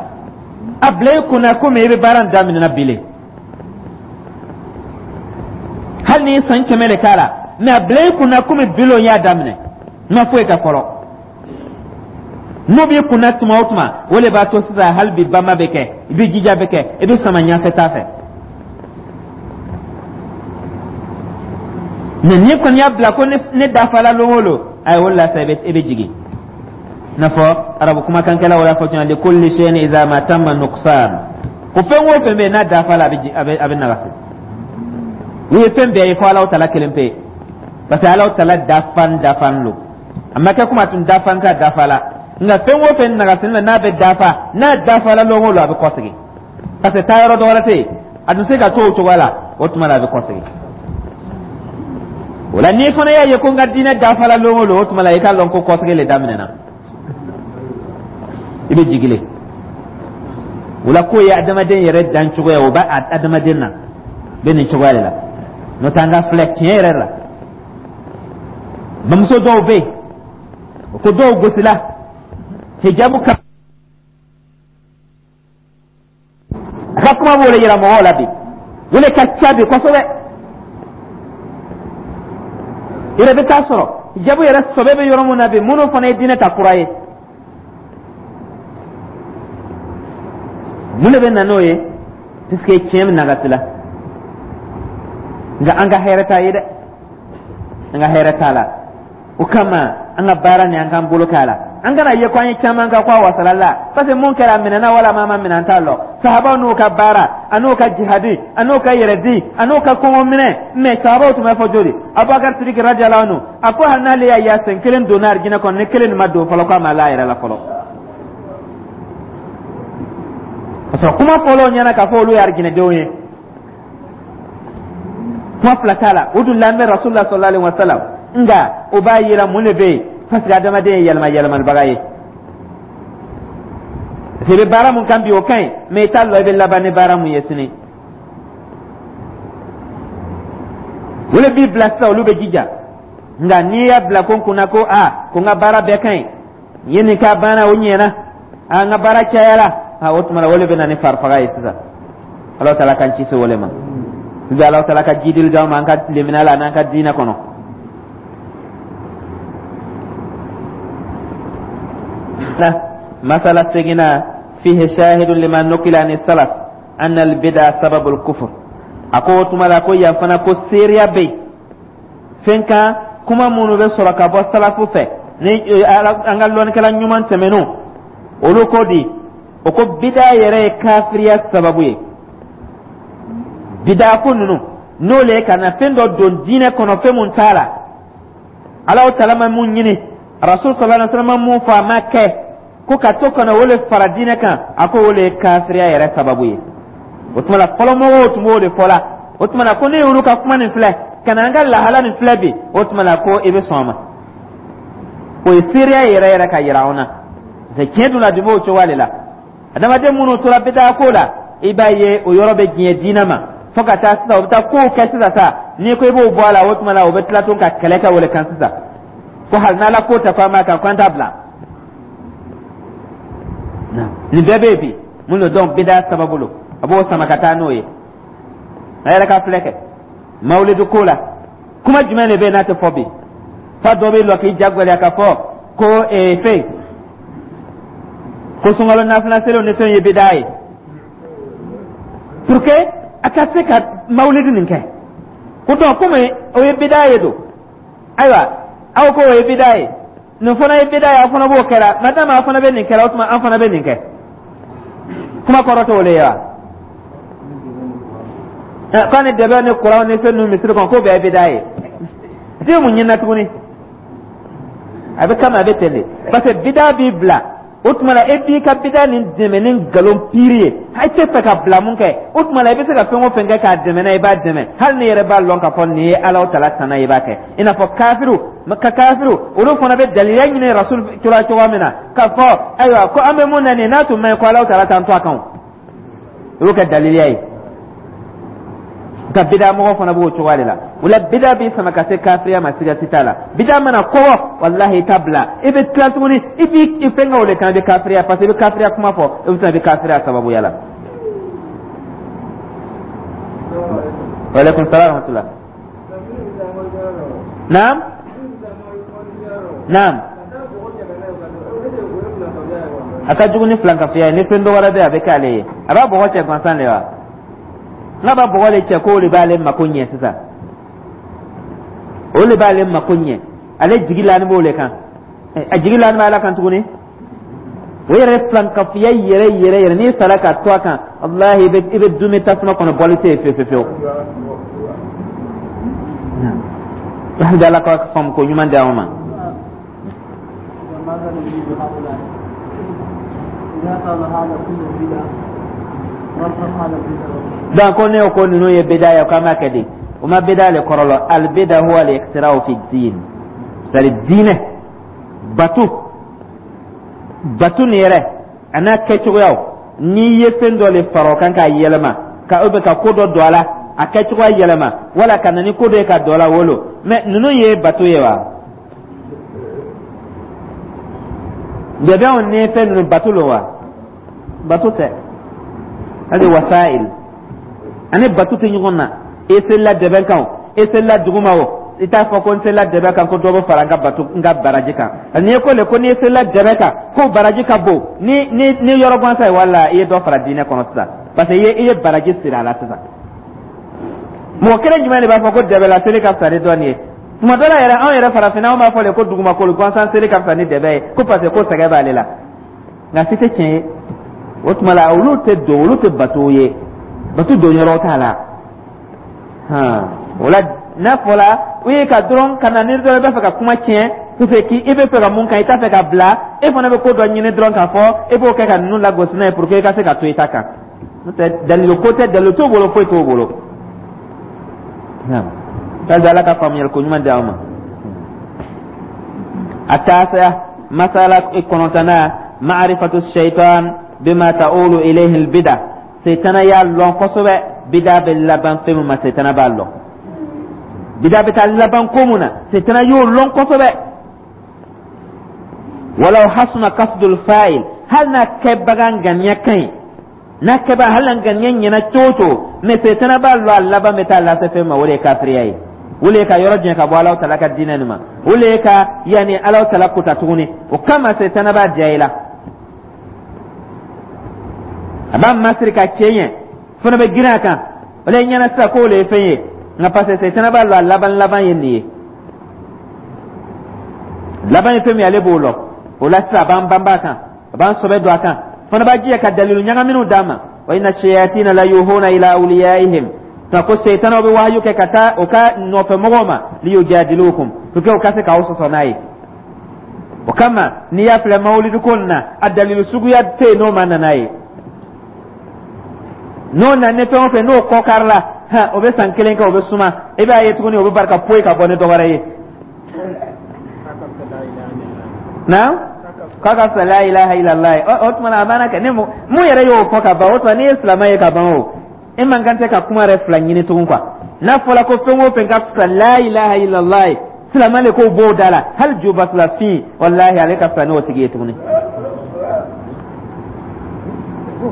A bila i kunna komi i bɛ baara in daminɛ bi le, hali n'i ye san kɛmɛ de k'a la, mɛ a bila i kunna komi bi lon y'a daminɛ, n ma foyi kɛ fɔlɔ. N'o b'i kunna tuma o tuma, o de b'a to sisan hali bi banba bɛ kɛ, i bɛ jija bɛ kɛ, i bɛ sama ɲɛfɛ taa fɛ. Mɛ n'i kɔni y'a bila ko ne dafala lon o lon, ayi, o de la sa i bɛ i bɛ jigin. I n'a fɔ arabu kumakankɛlaw y'a fɔ cogo min: likulli shay'in idha ma tamma nuqsan. Ko fɛn o fɛn bɛ yen, n'a dafala, a bɛ a bɛ a bɛ nagasi. U ye fɛn bɛɛ ye fo Alahu Taala kelen pe, parce que Alahu Taala dafan dafan lo. A ma kɛ komi a tun dafan t'a dafa la. Nka fɛn o fɛn nagasini la, n'a bɛ dafa, n'a dafala lon o lon, a bɛ kɔsegin, parce que taayɔrɔ dɔ wɛrɛ tɛ yen, a tun se ka to o cogoya la. O tuma la, a bɛ kɔsegin. O la, n'i fana y'a ye ko n ka diinɛ dafala lon o lon, o tuma la, i k'a lɔn ko kɔsegin le daminɛna, i bɛ jigin le. O la, k'o ye adamaden yɛrɛ dan cogoya, o b'a adamaden na bɛ nin cogoya de la. N'o tɛ, an ka filɛ tiɲɛ yɛrɛ la, bamuso dɔw bɛ yen, o ko dɔw gosila hijabu kan. A ka kuma b'o de yira mɔgɔw la bi, o de ka ca bi kosɛbɛ. I yɛrɛ bɛ taa sɔrɔ hijabu yɛrɛ sɔbɛ bɛ yɔrɔ mun na bi, minnu fana ye diinɛ ta kura ye, mun de bɛ na n'o ye? Puisque tiɲɛ bɛ nagasi la. Nka an ka hɛrɛ t'a ye dɛ, an ka hɛrɛ t'a la. O kama, an ka baara ni an k'an bolo k'a la, an kana ye ko an ye caman kɛ ko a wasala la, parce que mun kɛra, a minɛna wala maa ma minɛ, an t'a lɔn. Sahabaw n'u ka baara, a n'u ka jihadi, a n'u ka yɛrɛdi, a n'u ka kɔngɔ minɛ, mais sahabaw tun bɛ fɔ joli? Abubakar Sidiki radiyallahu anhu a ko hali n'ale y'a ye a sen kelen donna arijinɛ kɔnɔ, ni kelen nin ma don fɔlɔ, k'a ma la a yɛrɛ la fɔlɔ. Ka sɔrɔ kuma fɔlɔ ɲɛna k'a fɔ olu ye arijinɛdenw ye, kuma fila t'a la. O dun lamɛn Rasulullah sallallahu alaihi wa sallam. Nka o b'a yira mun de bɛ yen? Parce que adamaden ye yɛlɛma yɛlɛmalibaga ye. Parce que i bɛ baara mun kan bi, o ka ɲi, mais i t'a lɔn i bɛ laban ni baara mun ye sini. O de b'i bila sisan, olu bɛ jija. Nka n'i y'a bila ko n kunna ko aa, ko n ka baara bɛɛ ka ɲi, n ye nin k'a banna, o ɲɛna, a n ka baara cayara, a o tuma na, o de bɛ na ni farifaga ye sisan. Ala taala k'an ci se o de ma bi. Ala taala ka jidili d'an ma an ka lemina la n'an ka diinɛ kɔnɔ. Masala seginna: fihi shahidun lima nukila ani salaf anna albida sababul kufur. A ko o tuma la ko yan fana ko seereya bɛ yen fɛn kan, kuma minnu bɛ sɔrɔ ka bɔ salafu fɛ, ni an ka lɔnnikɛla ɲuman tɛmɛnenw, olu ko di? O ko bida yɛrɛ ye kafiriya sababu ye. Bida ko ninnu, n'o le ye ka na fɛn dɔ don diinɛ kɔnɔ, fɛn mun t'a la, Alahu taala ma mun ɲini, Rasul sallallahu alaihi wasallam ma mun fɔ, a ma kɛ, ko ka to ka na o le fara diinɛ kan, a ko o le ye kafiriya yɛrɛ sababu ye. O tuma la, fɔlɔmɔgɔw tun b'o de fɔ la. O tuma la, ko ne y'olu ka kuma nin filɛ ka na an ka lahala nin filɛ bi, o tuma la, ko i bɛ sɔn a ma. O ye seereya yɛrɛ yɛrɛ ka yira anw na, parce que tiɲɛ dun la dun b'o cogoya de la. Adamaden minnu tora bidaa ko la, i b'a ye o yɔrɔ bɛ diɲɛ diinɛ ma fo ka taa sisan, o bɛ taa kow kɛ sisan sa. N'i ko i b'o bɔ a la, o tuma la, o bɛ tila tun ka kɛlɛ kɛ o de kan sisan, ko hali n'Ala ko tɛ ko an b'a kan, ko an t'a bila. Nin bɛɛ bɛ yen bi. Mun don? Donc bidaa sababu lo, a b'o sama ka taa n'o ye. A yɛrɛ ka filɛ kɛ mawulidu ko la, kuma jumɛn de bɛ yen n'a tɛ fɔ bi? Fa dɔ bɛ lɔ k'i ja gɛlɛya k'a fɔ ko ee fɛn ko sunkalo nafila seliw ni fɛn ye bidaa ye, pour que a ka se ka mawulidi nin kɛ. Ko donc komi o ye bidaa ye don, ayiwa, aw ko o ye bidaa ye, nin fana ye bidaa ye, aw fana b'o kɛra, madama aw fana bɛ nin kɛra, o tuma an fana bɛ nin kɛ. Kuma kɔrɔ t'o le ye wa? K'a ni dɛbɛ ni kuran ni fɛn ninnu misiri kɔnɔ, k'o bɛɛ ye bida ye. I tɛ mun ɲini na tuguni? A bɛ kama, a bɛ ten de, parce que bida b'i bila. O tuma la, e b'i ka bida nin dɛmɛ ni nkalon piiri ye. I tɛ fɛ ka bila mun kɛ, o tuma la, i bɛ se ka fɛn o fɛn kɛ k'a dɛmɛ n'a ye, i b'a dɛmɛ, hali ni yɛrɛ b'a lɔn k'a fɔ nin ye Alahu Taala tana ye, i b'a kɛ. I n'a fɔ kafiriw ka kafiriw, olu fana bɛ daliya ɲini Rasul cogoya cogoya min na k'a fɔ ayiwa, ko an bɛ mun na nin n'a tun ma ɲi, ko Alahu Taala t'an to a kan, o y'o kɛ daliya ye. Nka bida mɔgɔ fana b'o cogoya de la. O la, bida b'i sama ka se kafiriya ma, siga si t'a la. Bida mana kɔgɔ, walahi, i t'a bila, i bɛ tila tuguni, i b'i fɛn kɛ o de kan, i bɛ kafiriya, parce que i bɛ kafiriya kuma fɔ, i bɛ tila, i bɛ kafiriya sababuya la. Waaleykum salaam wa rahmatulah. Naam naam. A ka jugu ni filankafoya ye. Ni fɛn dɔ wɛrɛ bɛ yen, a bɛ k'ale ye, a b'a bɔgɔ cɛ gansan de wa? N'a b'a bɔgɔ de cɛ, k'o de b'ale mako ɲɛ sisan, o de b'ale mako ɲɛ, ale jigi laani b'o de kan, a jigi laani b'ala kan tuguni. O yɛrɛ filankafoya yɛrɛ yɛrɛ yɛrɛ, n'i sara ka to a kan, walahi, i bɛ i bɛ dumuni tasuma kɔnɔ, bɔli tɛ yen fiyewu fiyewu fiyewu. Hali Ala ka faamu ko ɲuman di anw ma. ماذا نجيب هؤلاء إذا قالوا هذا كله بدعة رفض هذا البدعة؟ Donc ko ne ko ninnu ye bida ye, k'an b'a kɛ di? O ma bida le kɔrɔ lɔ. Al bida huwa al ikhtira'u fi din, c'est à dire diinɛ batu batu nin yɛrɛ a n'a kɛcogoyaw, n'i ye fɛn dɔ le fara o kan k'a yɛlɛma, ka ou bien ka ko dɔ don a la, a kɛcogoya yɛlɛma, wala ka na ni ko dɔ ye ka don a la, wolo. Mais ninnu ye bato ye wa? Dɛbɛnw ni fɛn ninnu, bato lo wa? Bato tɛ. Hali wasail ani bato tɛ ɲɔgɔn na. I selila dɛbɛn kan o, i selila duguma o, i t'a fɔ ko n selila dɛbɛn kan ko dɔ bɛ fara n ka bato, n ka baraji kan. N'i ye ko le ko n'i selila dɛbɛn kan ko baraji ka bon ni ni ni yɔrɔ gansan ye, wala i ye dɔ fara diinɛ kɔnɔ sisan, parce que i ye i ye baraji siri a la sisan. Mɔgɔ kelen jumɛn de b'a fɔ ko dɛbɛla seli ka fisa ni dɔɔni ye? Tuma dɔ la yɛrɛ, anw yɛrɛ farafinna, anw b'a fɔ de ko dugumakolo gansan seli ka fisa ni dɛbɛ ye, ko parce que ko sɛgɛn b'ale la. Nka si tɛ tiɲɛ ye. O tuma la, olu tɛ don, olu tɛ bato ye, bato don yɔrɔ t'a la. Hɔn, o la, n'a fɔra u ye ka dɔrɔn ka na ni dɔrɔn i b'a fɛ ka kuma tiɲɛ, parce que i bɛ fɛ ka mun kan, i t'a fɛ ka bila, e fana bɛ ko dɔ ɲini dɔrɔn k'a fɔ e b'o kɛ ka ninnu lagosi n'a ye pour que i ka se ka to i ta kan. N'o tɛ, dalilu ko tɛ, dalilu t'o bolo, foyi t'o bolo. Hali Ala ka faamuyali ko ɲuman di aw ma. A taasiya, masala kɔnɔntɔnnan, ma'rifatu shaitan bima ta'ulu ilayhi albida. Setana y'a lɔn kosɛbɛ bida bɛ laban fɛn min ma. Setana b'a lɔn bida bɛ taa laban ko mun na, setana y'o lɔn kosɛbɛ. Walaw hasuna kasdul fa'il, hali n'a kɛbaga ŋaniya ka ɲi, n'a kɛbaga hali n'a ŋaniya ɲɛna cogo o cogo, mais setana b'a lɔn a laban bɛ taa lase fɛn ma. O de ye kafiriya ye, o de ye ka yɔrɔ janya ka bɔ Alahu Taala ka diinɛ nin ma, o de ye ka yanni Alahu Taala kota tuguni. O kama setana b'a diya i la, a b'a masiri ka cɛ ɲɛ, fana bɛ girin a kan, o de ye ɲɛna sisan k'o de ye fɛn ye. Nka parce que setana b'a lɔn a laban laban ye nin ye, laban ye fɛn min ye, ale b'o lɔn. O la sisan, a b'an banba a kan, a b'an sɔbɛ don a kan, fana b'a jija ka dalilu ɲagaminw d'a ma. Wa inna shayatina la yuhuna ila awliyaihim, nka ko seytanaw bɛ wahayu kɛ ka taa o ka nɔfɛmɔgɔw ma, liyujadilukum, pour que o ka se k'aw sɔsɔ n'a ye. O kama, n'i y'a filɛ mawulidi ko nin na, a dalilu suguya tɛ yen n'o ma na n'a ye. N'o na ni fɛn o fɛn n'o kɔ kari la, hɛn, o bɛ san kelen kɛ, o bɛ suma, i b'a ye tuguni o bɛ barika poyi ka bɔ ni dɔ wɛrɛ ye. Naam, k'a ka fisa la ilaha illallah ye. O tuma na, a banna kɛ ni mun yɛrɛ y'o fɔ ka ban. O tuma, n'i ye silamɛ ye ka ban, o e man kan tɛ ka kuma yɛrɛ fila ɲini tugun quoi. N'a fɔra ko fɛn o fɛn ka fisa la ilaha illallah ye, silamɛ de k'o b'o da la, hali jubatulafin, walahi, ale ka fisa n'o tigi ye tuguni.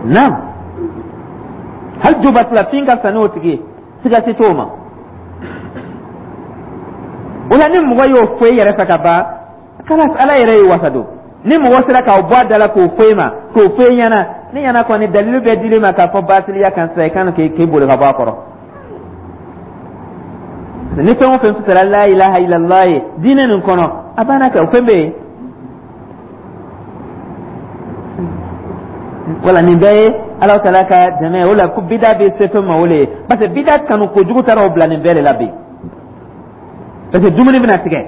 Naam, hali jubatulafin ka fisa n'o tigi ye, siga si t'o ma. O la, ni mɔgɔ y'o fɔ e yɛrɛ fɛ ka ban, kalas, Ala yɛrɛ y'i wasa don. Ni mɔgɔ sera k'aw bɔ a da la k'o fɔ e ma, k'o fɔ e ɲɛna, ne ɲɛna kɔni, dalilu bɛɛ dir'i ma k'a fɔ basiliya kan sisan, i kan k'i k'i boli ka bɔ a kɔrɔ. Ni fɛn o fɛn fisara la ilaha illallah ye diinɛ nin kɔnɔ, a banna kɛ, o fɛn bɛ yen. Wala nin bɛɛ ye. Ala taala ka dɛmɛ o la ko bida bɛ se fɛn ma, o le ye, parce que bida kanu kojugu taara o bila nin bɛɛ de la bi, parce que dumuni bɛna tigɛ.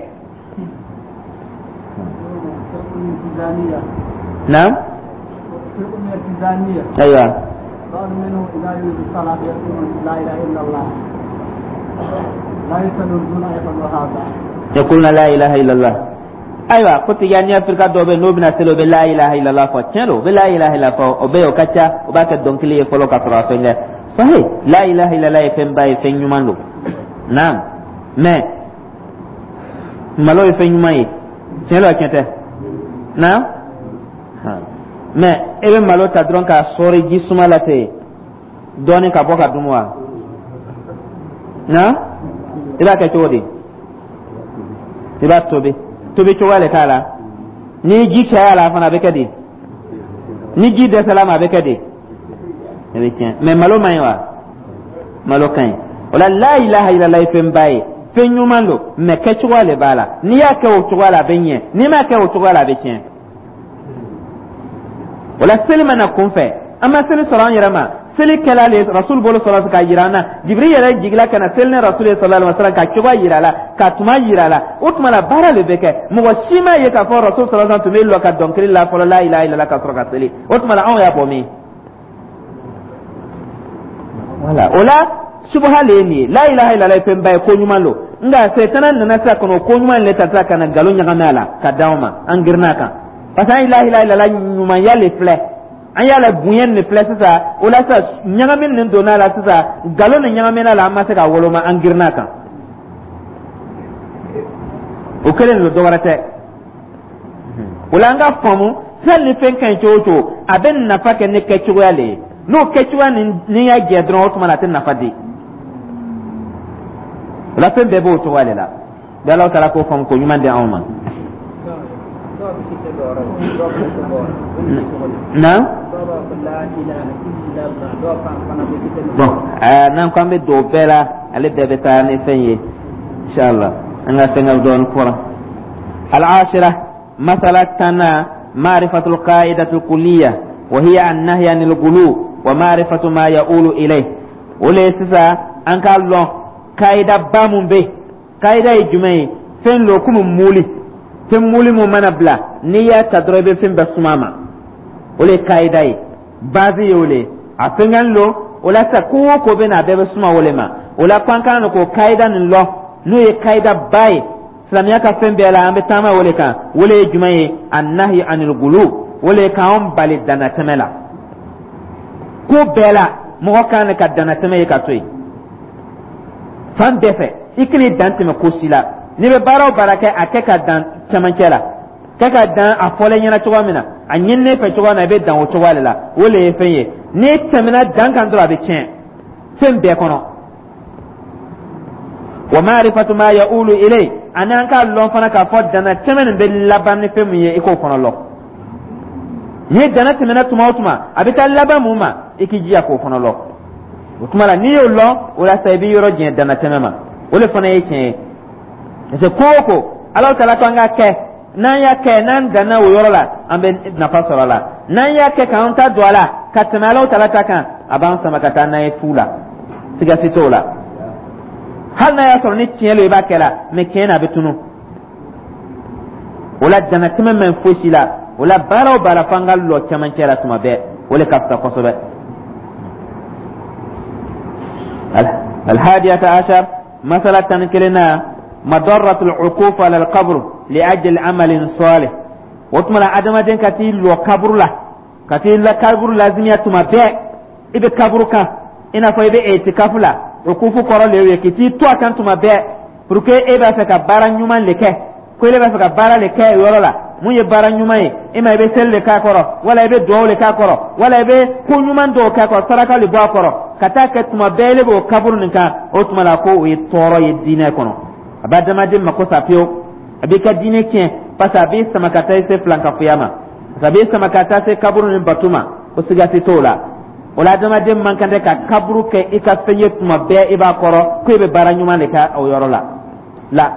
Naam. Ayiwa. بعض منهم إذا يريد الصلاة يقول لا إله إلا الله، لا يصلون دون أن يفعلوا هذا. يقولون لا إله إلا الله. Ayiwa, ko Tijaniya firika dɔw bɛ, n'o bɛna seli, o bɛ la ilaha illallah fɔ. Tiɲɛ don, o bɛ la ilaha illallah fɔ, o bɛ yen, o ka ca, o b'a kɛ dɔnkili ye fɔlɔ ka sɔrɔ a fɛn kɛ. Sahi, la ilaha illallah ye fɛnba ye, fɛn ɲuman don. Naam, mais malo ye fɛn ɲuman ye, tiɲɛ don wa, tiɲɛ tɛ? Naam, mais e bɛ malo ta dɔrɔn k'a sɔɔri ji suma la ten dɔɔni ka bɔ ka dun wa? Naam, i b'a kɛ cogo di? I b'a tobi, tobi cogoya de t'a la. Ni ji caya la fana, a bɛ kɛ di? Ni ji dɛsɛla ma, a bɛ kɛ di? A bɛ tiɲɛ. Mais malo man ɲi wa? Malo ka ɲi. O la, la ilaha illallah ye fɛnba ye, fɛn ɲuman don, mais kɛcogoya de b'a la. N'i y'a kɛ o cogoya la, a bɛ ɲɛ. N'i m'a kɛ o cogoya la, a bɛ tiɲɛ. O la, seli mana kunfɛ, an ma seli sɔrɔ an yɛrɛ ma. Seli kɛla le Rasul bolo sɔrɔ k'a yira an na. Jibiri yɛrɛ jigila ka na seli ni Rasul ye sallallahu alaihi wasallam, ka cogoya yira a la, ka tuma yira a la. O tuma la, baara de bɛ kɛ. Mɔgɔ si ma ye k'a fɔ Rasul sallallahu alaihi wasallam tun bɛ lɔ ka dɔnkili la fɔlɔ, la ilaha illallah, ka sɔrɔ ka seli. O tuma la, anw y'a bɔ min? Wala o la, subaha le ye nin ye. La ilaha illallah ye fɛnba ye, ko ɲuman don, nka Sɛtana nana sisan ka na o ko ɲuman le ta sisan ka na nkalon ɲagami a la ka d'anw ma. An girinna a kan parce que an ye la ilaha illallah ɲumanya le filɛ, an y'a la bonya nin filɛ sisan. O la sisan, ɲagami nin donna a la sisan, nkalon nin ɲagamina a la, an ma se k'a woloma, an girinna a kan. O kelen don, dɔ wɛrɛ tɛ. O la, an ka faamu, fɛn ni fɛn ka ɲi cogo o cogo, a bɛ nafa kɛ ni kɛcogoya le ye. N'o kɛcogoya nin y'a jɛ dɔrɔn, o tuma na, a tɛ nafa di. O la, fɛn bɛɛ b'o cogoya de la. Bi Ala taala k'o faamu ko ɲuman di anw ma. Na bon, n'an ko an bɛ don o bɛɛ la, ale bɛɛ bɛ taa ni fɛn ye, inshallah. An ka fɛn ka dɔɔni fɔra. العاشرة، مسألة تنا، معرفة القاعدة الكلية، وهي النهي عن الغلو ومعرفة ما يؤول إليه. O le sisan, an k'a lɔn kaida ba mun bɛ. Kaida ye jumɛn ye? Fɛn lo komi muli, fɛn muli mun mana bila, n'i y'a ta dɔrɔn, i bɛ fɛn bɛɛ suma ma. O le ye kaida ye, base ye o le ye. A fɛngɛn lo. O la sisan, ko o ko bɛ na, a bɛɛ bɛ suma o le ma. O la, ko an kan k'o kaida nin lɔn, n'o ye kaida ba ye silamɛya ka fɛn bɛɛ la, an bɛ taama o le kan. O le ye jumɛn ye? Annahi anil gulu. O le ye k'anw bali danatɛmɛ la. Ko bɛɛ la, mɔgɔ kan ka danatɛmɛ ye ka to yen fan bɛɛ fɛ. I kan'i dan tɛmɛ ko si la. N'i bɛ baara o baara kɛ, a kɛ ka dan cɛmancɛ la, kɛ ka dan a fɔlen ɲɛna cogoya min na, a ɲininen fɛ cogoya min na, i bɛ dan o cogoya de la. O le ye fɛn ye. N'i tɛmɛna dan kan dɔrɔn, a bɛ tiɲɛ fɛn bɛɛ kɔnɔ. Wa ma'rifatu ma ya'ulu ilay, ani an k'a lɔn fana k'a fɔ dana tɛmɛ nin bɛ laban ni fɛn min ye, i k'o fana lɔn. N'i dana tɛmɛna tuma o tuma, a bɛ taa laban mun ma, i k'i jija k'o fana lɔn. O tuma la, n'i y'o lɔn, o la sa, i b'i yɔrɔ jɛn dana tɛmɛ ma. O de fana ye tiɲɛ ye, parce que ko o ko Ala taala ko an ka kɛ, n'an y'a kɛ, n'an danna o yɔrɔ la, an bɛ nafa sɔrɔ a la. N'an y'a kɛ k'an ta don a la ka tɛmɛ Ala taala ta kan, a b'an sama ka taa n'a ye fu la, siga si t'o la. Hali n'a y'a sɔrɔ ni tiɲɛ lo i b'a kɛ la, mais tiɲɛ na, a bɛ tunu. O la, danatɛmɛ man fosi la. O la, baara o baara, f'an ka lɔ cɛmancɛ la tuma bɛɛ, o le ka fisa kosɛbɛ. الحادية عشر، مسألة كلنا، مضرة العكوف على القبر لأجل عمل صالح. وتملا أدم ka t'i lɔ kaburu la, ka t'i la kaburu lazimiya tuma bɛɛ, i bɛ kaburu kan i n'a fɔ i bɛ etikafu la. Ukufu kɔrɔ le ye k'i t'i to a kan tuma bɛɛ pour que e b'a fɛ ka baara ɲuman le kɛ, ko e b'a fɛ ka baara le kɛ yɔrɔ la. Mun ye baara ɲuman ye e ma? I bɛ seli le k'a kɔrɔ, wala i bɛ duwawu le k'a kɔrɔ, wala i bɛ ko ɲuman dɔw k'a kɔrɔ, saraka le bɔ a kɔrɔ, ka taa kɛ tuma bɛɛ e b'o kaburu nin kan. O tuma la, ko o ye tɔɔrɔ ye diinɛ kɔnɔ, a bɛ adamaden mako sa pewu, a b'i ka diinɛ tiɲɛ, parce que a b'i sama ka taa i se filankafoya ma, parce que a b'i sama ka taa se kaburu ni bato ma. Ko siga si t'o la. O la, adamaden man kan tɛ ka kaburu kɛ i ka fɛn ye tuma bɛɛ i b'a kɔrɔ ko i bɛ baara ɲuman de kɛ o yɔrɔ la. La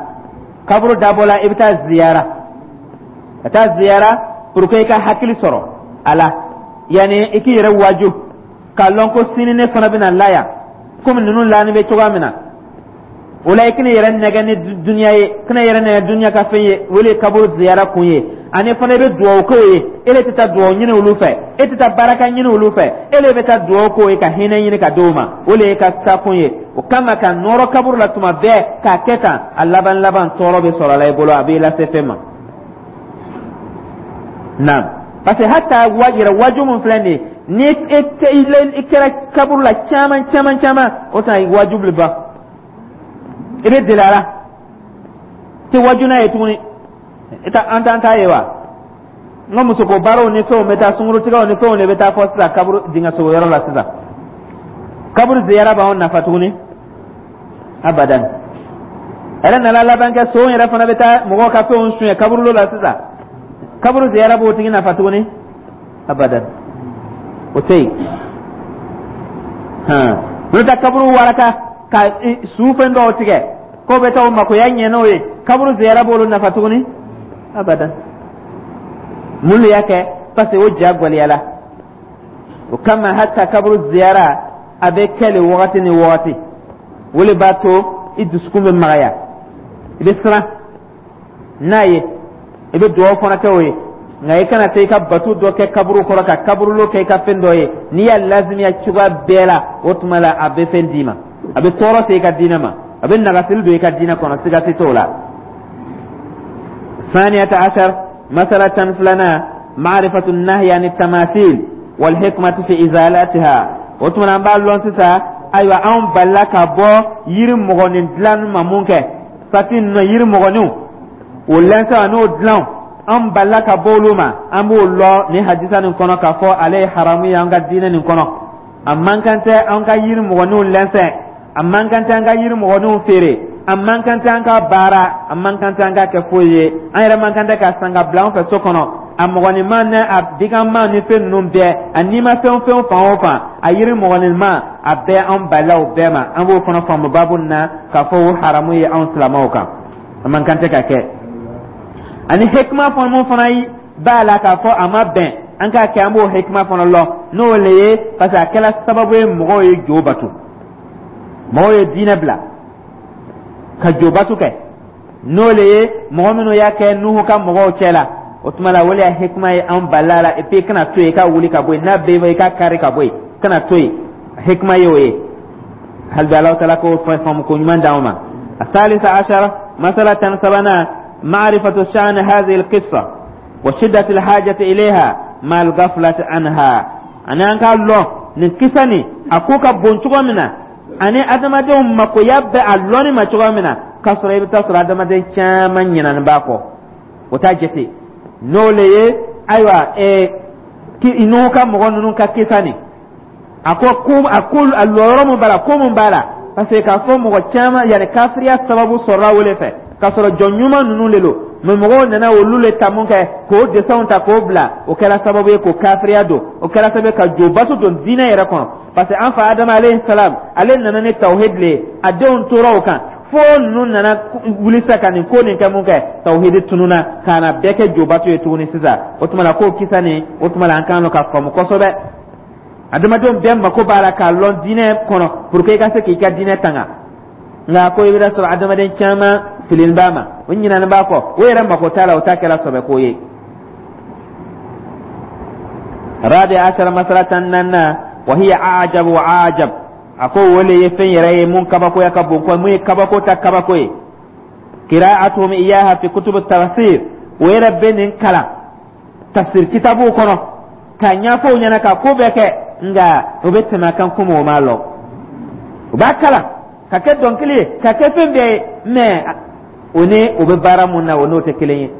kaburu dabɔ la, i bɛ taa ziyara, ka taa ziyara pour que i ka hakili sɔrɔ a la, yanni i k'i yɛrɛ waaju. K'a lɔn ko sini ne fana bɛna la yan, komi ninnu laani bɛ cogoya min na. O la, i kana yɛrɛ nɛgɛ ni duniya ye, kana yɛrɛ nɛgɛ duniya ka fɛn ye. O de ye kaburu ziyara kun ye. Ani fana, i bɛ dugawu k'o ye. E de tɛ taa dugawu ɲini olu fɛ, e tɛ taa baraka ɲini olu fɛ, e de bɛ taa dugawu k'o ye ka hinɛ ɲini ka d'o ma. O de ye ka taa kun ye. O kama, ka nɔrɔ kaburu la tuma bɛɛ k'a kɛ tan, a laban laban, tɔɔrɔ bɛ sɔrɔ a la i bolo, a b'i lase fɛn ma. Naam, parce que hata wa yɛrɛ waju mun filɛ nin ye, ni e i kɛra kaburu la caman caman caman, o tuma waju bɛ ban, i bɛ deli a la, tɛ waju n'a ye tuguni. I ta an t'an ta ye wa? N ka musoko baaraw ni fɛnw bɛ taa, sunkurutigɛw ni fɛnw de bɛ taa fɔ sisan kaburu dingɛ sogo yɔrɔ la sisan. Kaburu ziyara b'anw nafa tuguni? Abadan. Yɛrɛ nana laban kɛ, son yɛrɛ fana bɛ taa mɔgɔw ka fɛnw suɲɛ kaburudo la sisan. Kaburu ziyara b'o tigi nafa tuguni? Abadan, o tɛ yen. Hɔn, n'o tɛ, kaburu waraka ka su fɛn dɔw tigɛ k'o bɛ taa o makoya ɲɛ n'o ye, kaburu ziyara b'olu nafa tuguni? Abadan. Mun de y'a kɛ? Parce que o ja gwɛlɛyala. O kama, hata kaburu ziyara, a bɛ kɛ le wagati ni wagati. O de b'a to i dusukun bɛ magaya, i bɛ siran n'a ye, i bɛ dugawu fana kɛ o ye. Nka i kana taa i ka bato dɔ kɛ kaburu kɔrɔ, ka kaburulo kɛ i ka fɛn dɔ ye. N'i y'a lazimiya cogoya bɛɛ la, o tuma la a bɛ fɛn d'i ma, a bɛ tɔɔrɔ se i ka diinɛ ma, a bɛ nagasili don i ka diinɛ kɔnɔ, siga tɛ t'o la. ثانية عشر، مسألة فلنا، معرفة النهي عن التماثيل والحكمة في إزالتها. O tuma an b'a lɔn sisan, ayiwa, anw balila ka bɔ yiri mɔgɔnin dilan ma. Mun kɛ sati ninnu, yiri mɔgɔninw, o lɛnsɛn n'o dilan, an balila ka bɔ olu ma. An b'o lɔ ni hadisa nin kɔnɔ k'a fɔ ale ye haramu ye an ka diinɛ nin kɔnɔ. A man kan tɛ an ka yiri mɔgɔninw lɛnsɛn, a man kan tɛ an ka yiri mɔgɔninw feere, a man kan tɛ an ka baara, a man kan tɛ an ka kɛ foyi ye. An yɛrɛ man kan tɛ ka san ka bila an fɛ so kɔnɔ. A mɔgɔninma ni a biganma ni fɛn ninnu bɛɛ, a n'i ma fɛn fɛn fan o fan, a yiri mɔgɔninma, a bɛɛ, an balila o bɛɛ ma. An b'o fana faamu baabu nin na k'a fɔ o haramu ye anw silamɛw kan, a man kan tɛ ka kɛ. Ani hikima fana mun fana b'a la k'a fɔ a ma bɛn an k'a kɛ, an b'o hikima fana lɔn. N'o le ye, parce que a kɛra sababu ye, mɔgɔw ye jo bato, mɔgɔw ye diinɛ bila ka jo bato kɛ. N'o le ye, mɔgɔ minnu y'a kɛ Nuhu ka mɔgɔw cɛ la, o tuma la, o de y'a hikima ye an balila la. Et puis kana to yen i ka wuli ka bɔ yen, n'a bɛ i ka kari ka bɔ yen, kana to yen. Hikima ye o ye. Hali bi, Alahu taala k'o faamu ko ɲuman d'anw ma. الثالثة عشر، مسألة سبنا، معرفة شأن هذه القصة وشدة الحاجة إليها مع الغفلة عنها. Ani an k'a lɔn nin kisa nin, a ko ka bon cogo min na, ani adamadenw makoya bɛ a lɔnni ma cogo min na, k'a sɔrɔ i bɛ taa sɔrɔ adamaden caman ɲinani b'a kɔ, o t'a jate. N'o le ye, ayiwa, ɛɛ Nuhu ka mɔgɔ ninnu ka kisa nin, a ko ko a ko a lɔyɔrɔ mun b'a la, ko mun b'a la, parce que k'a fɔ mɔgɔ caman yanni kafiriya sababu sɔrɔla o de fɛ, k'a sɔrɔ jɔn ɲuman ninnu de don, mɛ mɔgɔw nana olu le ta. Mun kɛ k'o desɛnw ta k'o bila, o kɛra sababu ye k'o kafiriya don, o kɛra sababu ye ka jo bato don diinɛ yɛrɛ kɔnɔ. Parce que an fa Adama alayhi salam, ale nana ni tawhid le ye, a denw tora o kan fo ninnu nana wuli sisan ka nin ko nin kɛ. Mun kɛ, tawhid tununa ka na bɛɛ kɛ jo bato ye tuguni sisan. O tuma la, k'o kisa nin, o tuma la, an kan ka faamu kosɛbɛ. Adamadenw bɛɛ mako b'a la k'a lɔn diinɛ kɔnɔ pour que i ka se k'i ka diinɛ tanga. Nka ko i bɛ sɔrɔ adamaden caman filin b'a ma, o ɲinani b'a kɔ, o yɛrɛ mako t'a la, o t'a kɛra sɔbɛ ko ye. رابع عشر، مسألة نانا، وهي أعجب وأعجب. A ko o le ye fɛn yɛrɛ ye mun kabakoya ka bon ko mun ye kabako ta kabako ye. قراءتهم إياها في كتب التفسير. O yɛrɛ bɛ nin kalan tafsir kitabuw kɔnɔ k'a ɲɛfɔ u ɲɛna ka ko bɛɛ kɛ, nka o bɛ tɛmɛ a kan komi o m'a lɔn. O b'a kalan ka kɛ dɔnkili ye, ka kɛ fɛn bɛɛ ye, mɛ o ni o bɛ baara mun na, o n'o tɛ kelen ye.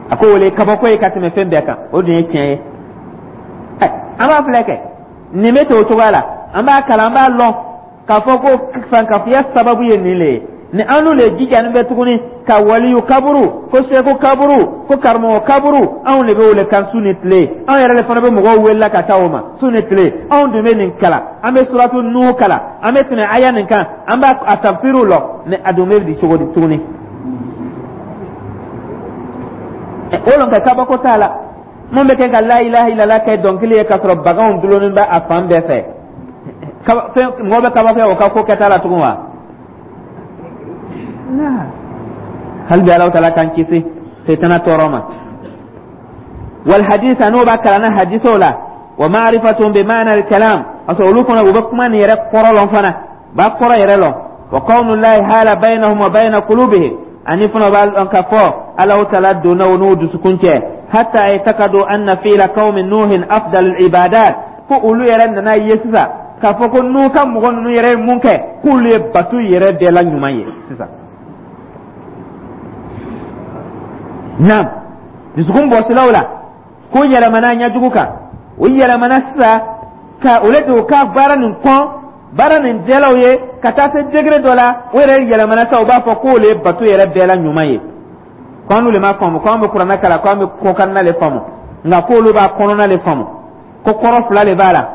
A ko o le ye kabako ye ka tɛmɛ fɛn bɛɛ kan. O dun ye tiɲɛ ye. Ɛ, an b'a filɛ kɛ nin bɛ ten o cogoya la, an b'a kalan, an b'a lɔn k'a fɔ ko fankafiya sababu ye nin le ye. Ni an n'u le jijani bɛ tuguni ka waliyu kaburu, ko seku kaburu, ko karamɔgɔ kaburu, anw de bɛ o le kan su ni tile. Anw yɛrɛ de fana bɛ mɔgɔw wele ka taa o ma su ni tile. Anw dun bɛ nin kalan, an bɛ suratu Nuhu kalan, an bɛ tɛmɛ aya nin kan, an b'a a tafsiriw lɔ, mɛ a dun bɛ di cogo di tuguni? O lɔn ka kabako t'a la. Mun bɛ kɛ ka la ilaha illallah kɛ dɔnkili ye k'a sɔrɔ baganw dulonnen bɛ a fan bɛɛ fɛ? Fɛn mɔgɔ bɛ kabakoya o ka ko kɛta la tugun wa? Hali bi Alahu Taala k'an kisi setana tɔɔrɔ ma. Wal hadith, n'o b'a kalanna hadisaw la, wa ma'rifatun bi ma'na al kalam, parce que olu fana u bɛ kuma nin yɛrɛ kɔrɔ lɔn fana, b'a kɔrɔ yɛrɛ lɔn. Wa kawnullahi hala bainahum wa baina qulubihim, ani fana b'a lɔn k'a fɔ Alahu Taala donna u n'u dusukun cɛ, hatta yataqadu anna fi'la qaumin Nuhin afdal al ibadat, fo olu yɛrɛ nana ye sisan k'a fɔ ko n'u ka mɔgɔ ninnu yɛrɛ ye mun kɛ, k'olu ye bato yɛrɛ bɛɛ la ɲuman ye sisan. Naam, dusukun bɔsilaw la ko yɛlɛmana ɲɛjugu kan, o yɛlɛmana sisan ka o le don ka baara nin kɔn, baara nin jɛlaw ye ka taa se degré dɔ la, o yɛrɛ yɛlɛmana sisan, u b'a fɔ k'o le ye bato yɛrɛ bɛɛ la ɲuman ye. Ko an le ma faamu ko an bɛ kuranɛ kalan, ko an bɛ kɔkanna le faamu, nka k'olu b'a kɔnɔna le faamu, ko kɔrɔ fila le b'a la,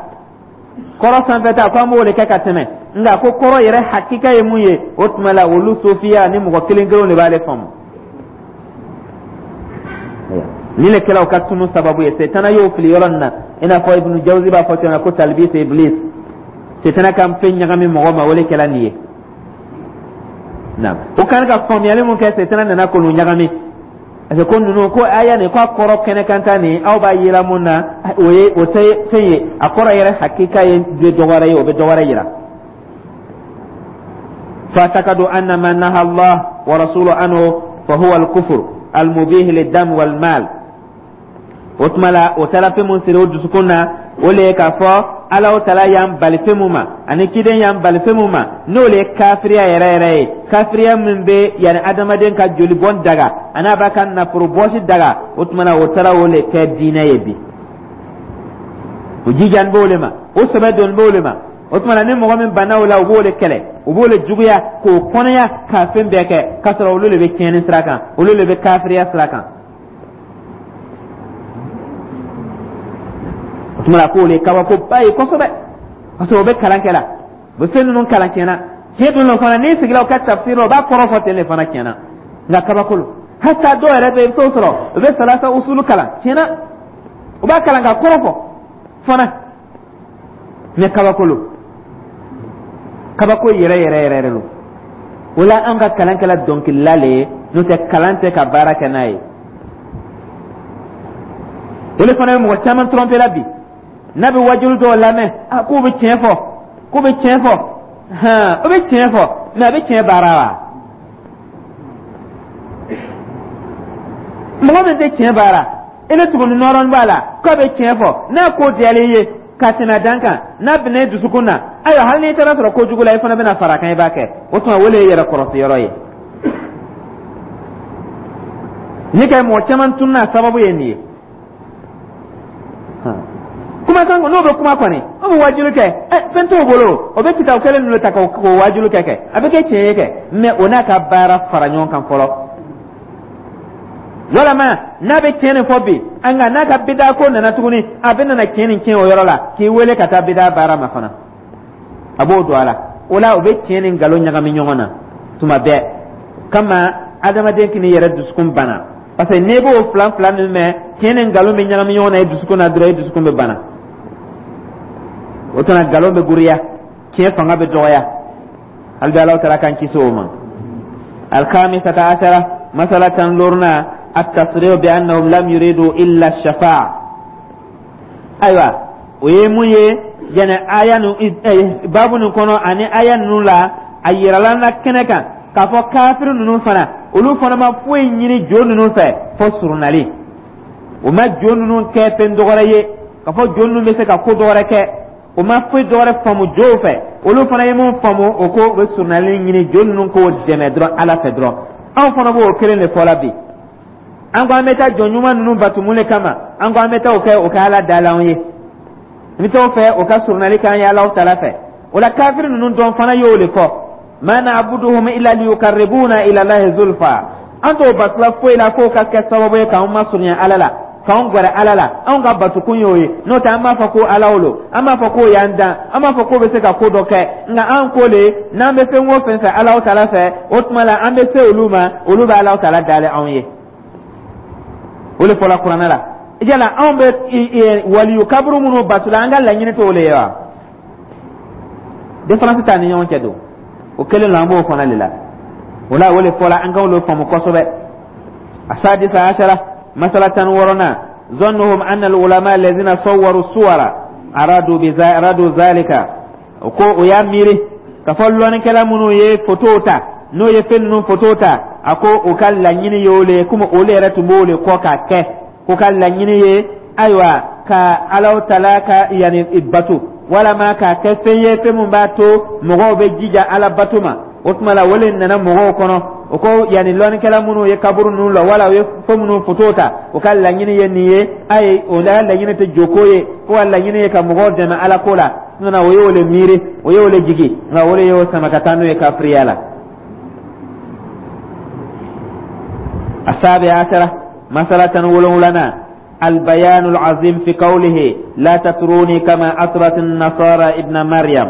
kɔrɔ sanfɛta ko an b'o de kɛ ka tɛmɛ, nka ko kɔrɔ yɛrɛ hakika ye mun ye? O tuma la, olu sofiya ni mɔgɔ kelen kelenw de b'ale faamu. Ni le kɛla o ka tunu sababu ye, setana y'o fili yɔrɔ nin na, i n'a fɔ Ibnu Jawzi b'a fɔ cogo min na ko talbis iblis, setana ka fɛn ɲagami mɔgɔ ma, o le kɛla nin ye. Naam, o kan ka faamuyali mun kɛ, setana nana k'olu ɲagami, parce que ko ninnu ko aya nin ko a kɔrɔ kɛnɛ kan ta nin, aw b'a yira mun na, o ye o tɛ fɛn ye, a kɔrɔ yɛrɛ hakika ye dɔ wɛrɛ ye, o bɛ dɔ wɛrɛ yira. فاعتقدوا أن ما نهى الله ورسوله عنه فهو الكفر المبيح للدم والمال. O tuma la, o taara fɛn mun siri o dusukun na, o le ye k'a fɔ Alahu Taala y'an bali fɛn mun ma ani ciden y'an bali fɛn mun ma, n'o le ye kafiriya yɛrɛ yɛrɛ ye, kafiriya min bɛ yanni adamaden ka joli bɔn daga ani a b'a ka nafolo bɔsi daga. O tuma la, o taara o le kɛ diinɛ ye bi, o jijani b'o le ma, o sɛbɛ doni b'o le ma. O tuma na, ni mɔgɔ min banna o la, u b'o de kɛlɛ, u b'o de juguya k'o kɔnɔya k'a fɛn bɛɛ kɛ, k'a sɔrɔ olu de bɛ tiɲɛni sira kan, olu de bɛ kafiriya sira kan. O tuma na, k'o le kabakoba ye kosɛbɛ, parce que o bɛ kalan kɛ la, u bɛ fɛn ninnu kalan tiɲɛna. Tiɲɛ dun fana, n'i sigila u ka tafsir la, u b'a kɔrɔ fɔ ten de fana tiɲɛna, nka kabako lo. Hata dɔw yɛrɛ bɛ yen, i bɛ t'o sɔrɔ u bɛ salasa usulu kalan tiɲɛna, u b'a kalan ka kɔrɔ fɔ fana, mais kabako lo, kabako yɛrɛ yɛrɛ yɛrɛ yɛrɛ lo. O la, an ka kalan kɛla dɔnkilila le ye, n'o tɛ kalan tɛ ka baara kɛ n'a ye. O de fana bɛ mɔgɔ caman tromper la bi, n'a bɛ wajulu dɔw lamɛn, a k'u bɛ tiɲɛ fɔ, k'u bɛ tiɲɛ fɔ, hɛn, o bɛ tiɲɛ fɔ, mais a bɛ tiɲɛ baara wa? Mɔgɔ min tɛ tiɲɛ baara, i ni tuguni nɔrɔnin b'a la k'a bɛ tiɲɛ fɔ, n'a ko diyalen ye ka tɛmɛ dan kan, n'a bɛnna i dusukun na, ayiwa, hali n'i taara sɔrɔ kojugu la, i fana bɛna fara a kan, i b'a kɛ. O tuma, o de ye yɛrɛ kɔlɔsi yɔrɔ ye. Ni ka mɔgɔ caman tununa, sababu ye nin ye. Kumakan n'o bɛ kuma kɔni, o bɛ wajulu kɛ, ɛ, fɛn t'o bolo, o bɛ kitabu kelen ninnu ta k'o wajulu kɛ kɛ a bɛ kɛ tiɲɛ ye kɛ, mais o n'a ka baara fara ɲɔgɔn kan fɔlɔ. Walama n'a bɛ tiɲɛ nin fɔ bi, nka n'a ka bida ko nana tuguni, a bɛ nana tiɲɛ nin tiɲɛ o yɔrɔ la, k'i wele ka taa bida baara ma fana, a b'o don a la. O la, o bɛ tiɲɛ ni nkalon ɲagami ɲɔgɔn na tuma bɛɛ, kama adamaden k'i yɛrɛ dusukun bana, parce que n'i b'o filan fila min mɛn, tiɲɛ ni nkalon bɛ ɲagami ɲɔgɔn na i dusukun na dɔrɔn, i dusukun bɛ bana. O tuma, nkalon bɛ giriya, tiɲɛ fanga bɛ dɔgɔya. Hali bi Alahu Taala k'an kisi o ma. Alkhamisata asara, masala tan loruna, التصريح بأنهم لم يريدوا إلا الشفاعة. Ayiwa, o ye mun ye? Jɛnɛ aya nu baabu nin kɔnɔ ani aya ninnu la, a yirala na kɛnɛ kan k'a fɔ kafiri ninnu fana, olu fana ma foyi ɲini jo ninnu fɛ fo surunali. O ma jo ninnu kɛ fɛn dɔgɔrɛ ye k'a fɔ jo ninnu bɛ se ka ko dɔgɔrɛ kɛ. O ma foyi dɔgɔrɛ faamu jow fɛ. Olu fana ye mun faamu? O ko u bɛ surunali ɲini, jo ninnu k'o dɛmɛ dɔrɔn Ala fɛ dɔrɔn. Anw fana b'o kelen de fɔ la bi. An ko an bɛ taa jɔn ɲuman ninnu bato mun de kama? An ko an bɛ taa o kɛ o ka Ala da la anw ye, n bɛ taa o fɛ o ka surunali k'an ye Alahu Taala fɛ. O la, kafiri ninnu dɔn fana y'o de fɔ: ma na'buduhum illa liyuqarribuna ila Allahi zulfa. An t'o batula foyi la f'o ka kɛ sababu ye k'anw masurunya Ala la, k'anw gɛrɛ Ala la. Anw ka batukun y'o ye, n'o tɛ an b'a fɔ ko Ala lo, an b'a fɔ k'o y'an dan, an b'a fɔ k'o bɛ se ka ko dɔ kɛ, nka an ko le n'an bɛ fɛn o fɛn fɛ Alahu Taala fɛ, o tuma la an bɛ se olu ma, olu bɛ Alahu Taala dalen anw ye. O de fɔla kuranɛ la. Yala anw bɛ waliyu kaburu minnu bato la, an ka laɲini t'o le ye wa? Différence t'an ni ɲɔgɔn cɛ don o kelen la, an b'o fana de la. O la, o le fɔla, an k'o faamu kosɛbɛ. السادسة عشرة masala tan wɔɔrɔnan ظنهم أن العلماء الذين صوروا الصور أرادوا بذا أرادوا ذلك ko o y'a miiri k'a fɔ lɔnnikɛla minnu ye fotow ta, n'o ye fɛn ninnu foto ta, a ko o ka laɲini ye o le ye, komi olu yɛrɛ tun b'o le kɔ k'a kɛ, k'o ka laɲini ye ayiwa ka Alahu Taala ka yanni bato, walama k'a kɛ fɛn ye, fɛn min b'a to mɔgɔw bɛ jija Ala bato ma. O tuma la, o le nana mɔgɔw kɔnɔ, o ko yanni lɔnnikɛla minnu ye kaburu ninnu lɔ, wala u ye fɛn minnu foto ta, o ka laɲini ye nin ye. Ayi, o la laɲini tɛ joko ye, ko ka laɲini ye ka mɔgɔw dɛmɛ Ala ko la. Nana o y'o le miiri, o y'o le jigi, nka o de y'o sama ka taa n'o ye kafiriya la. السابع عشرة مسألة ولولنا البيان العظيم في قوله لا تطروني كما أطرت النصارى ابن مريم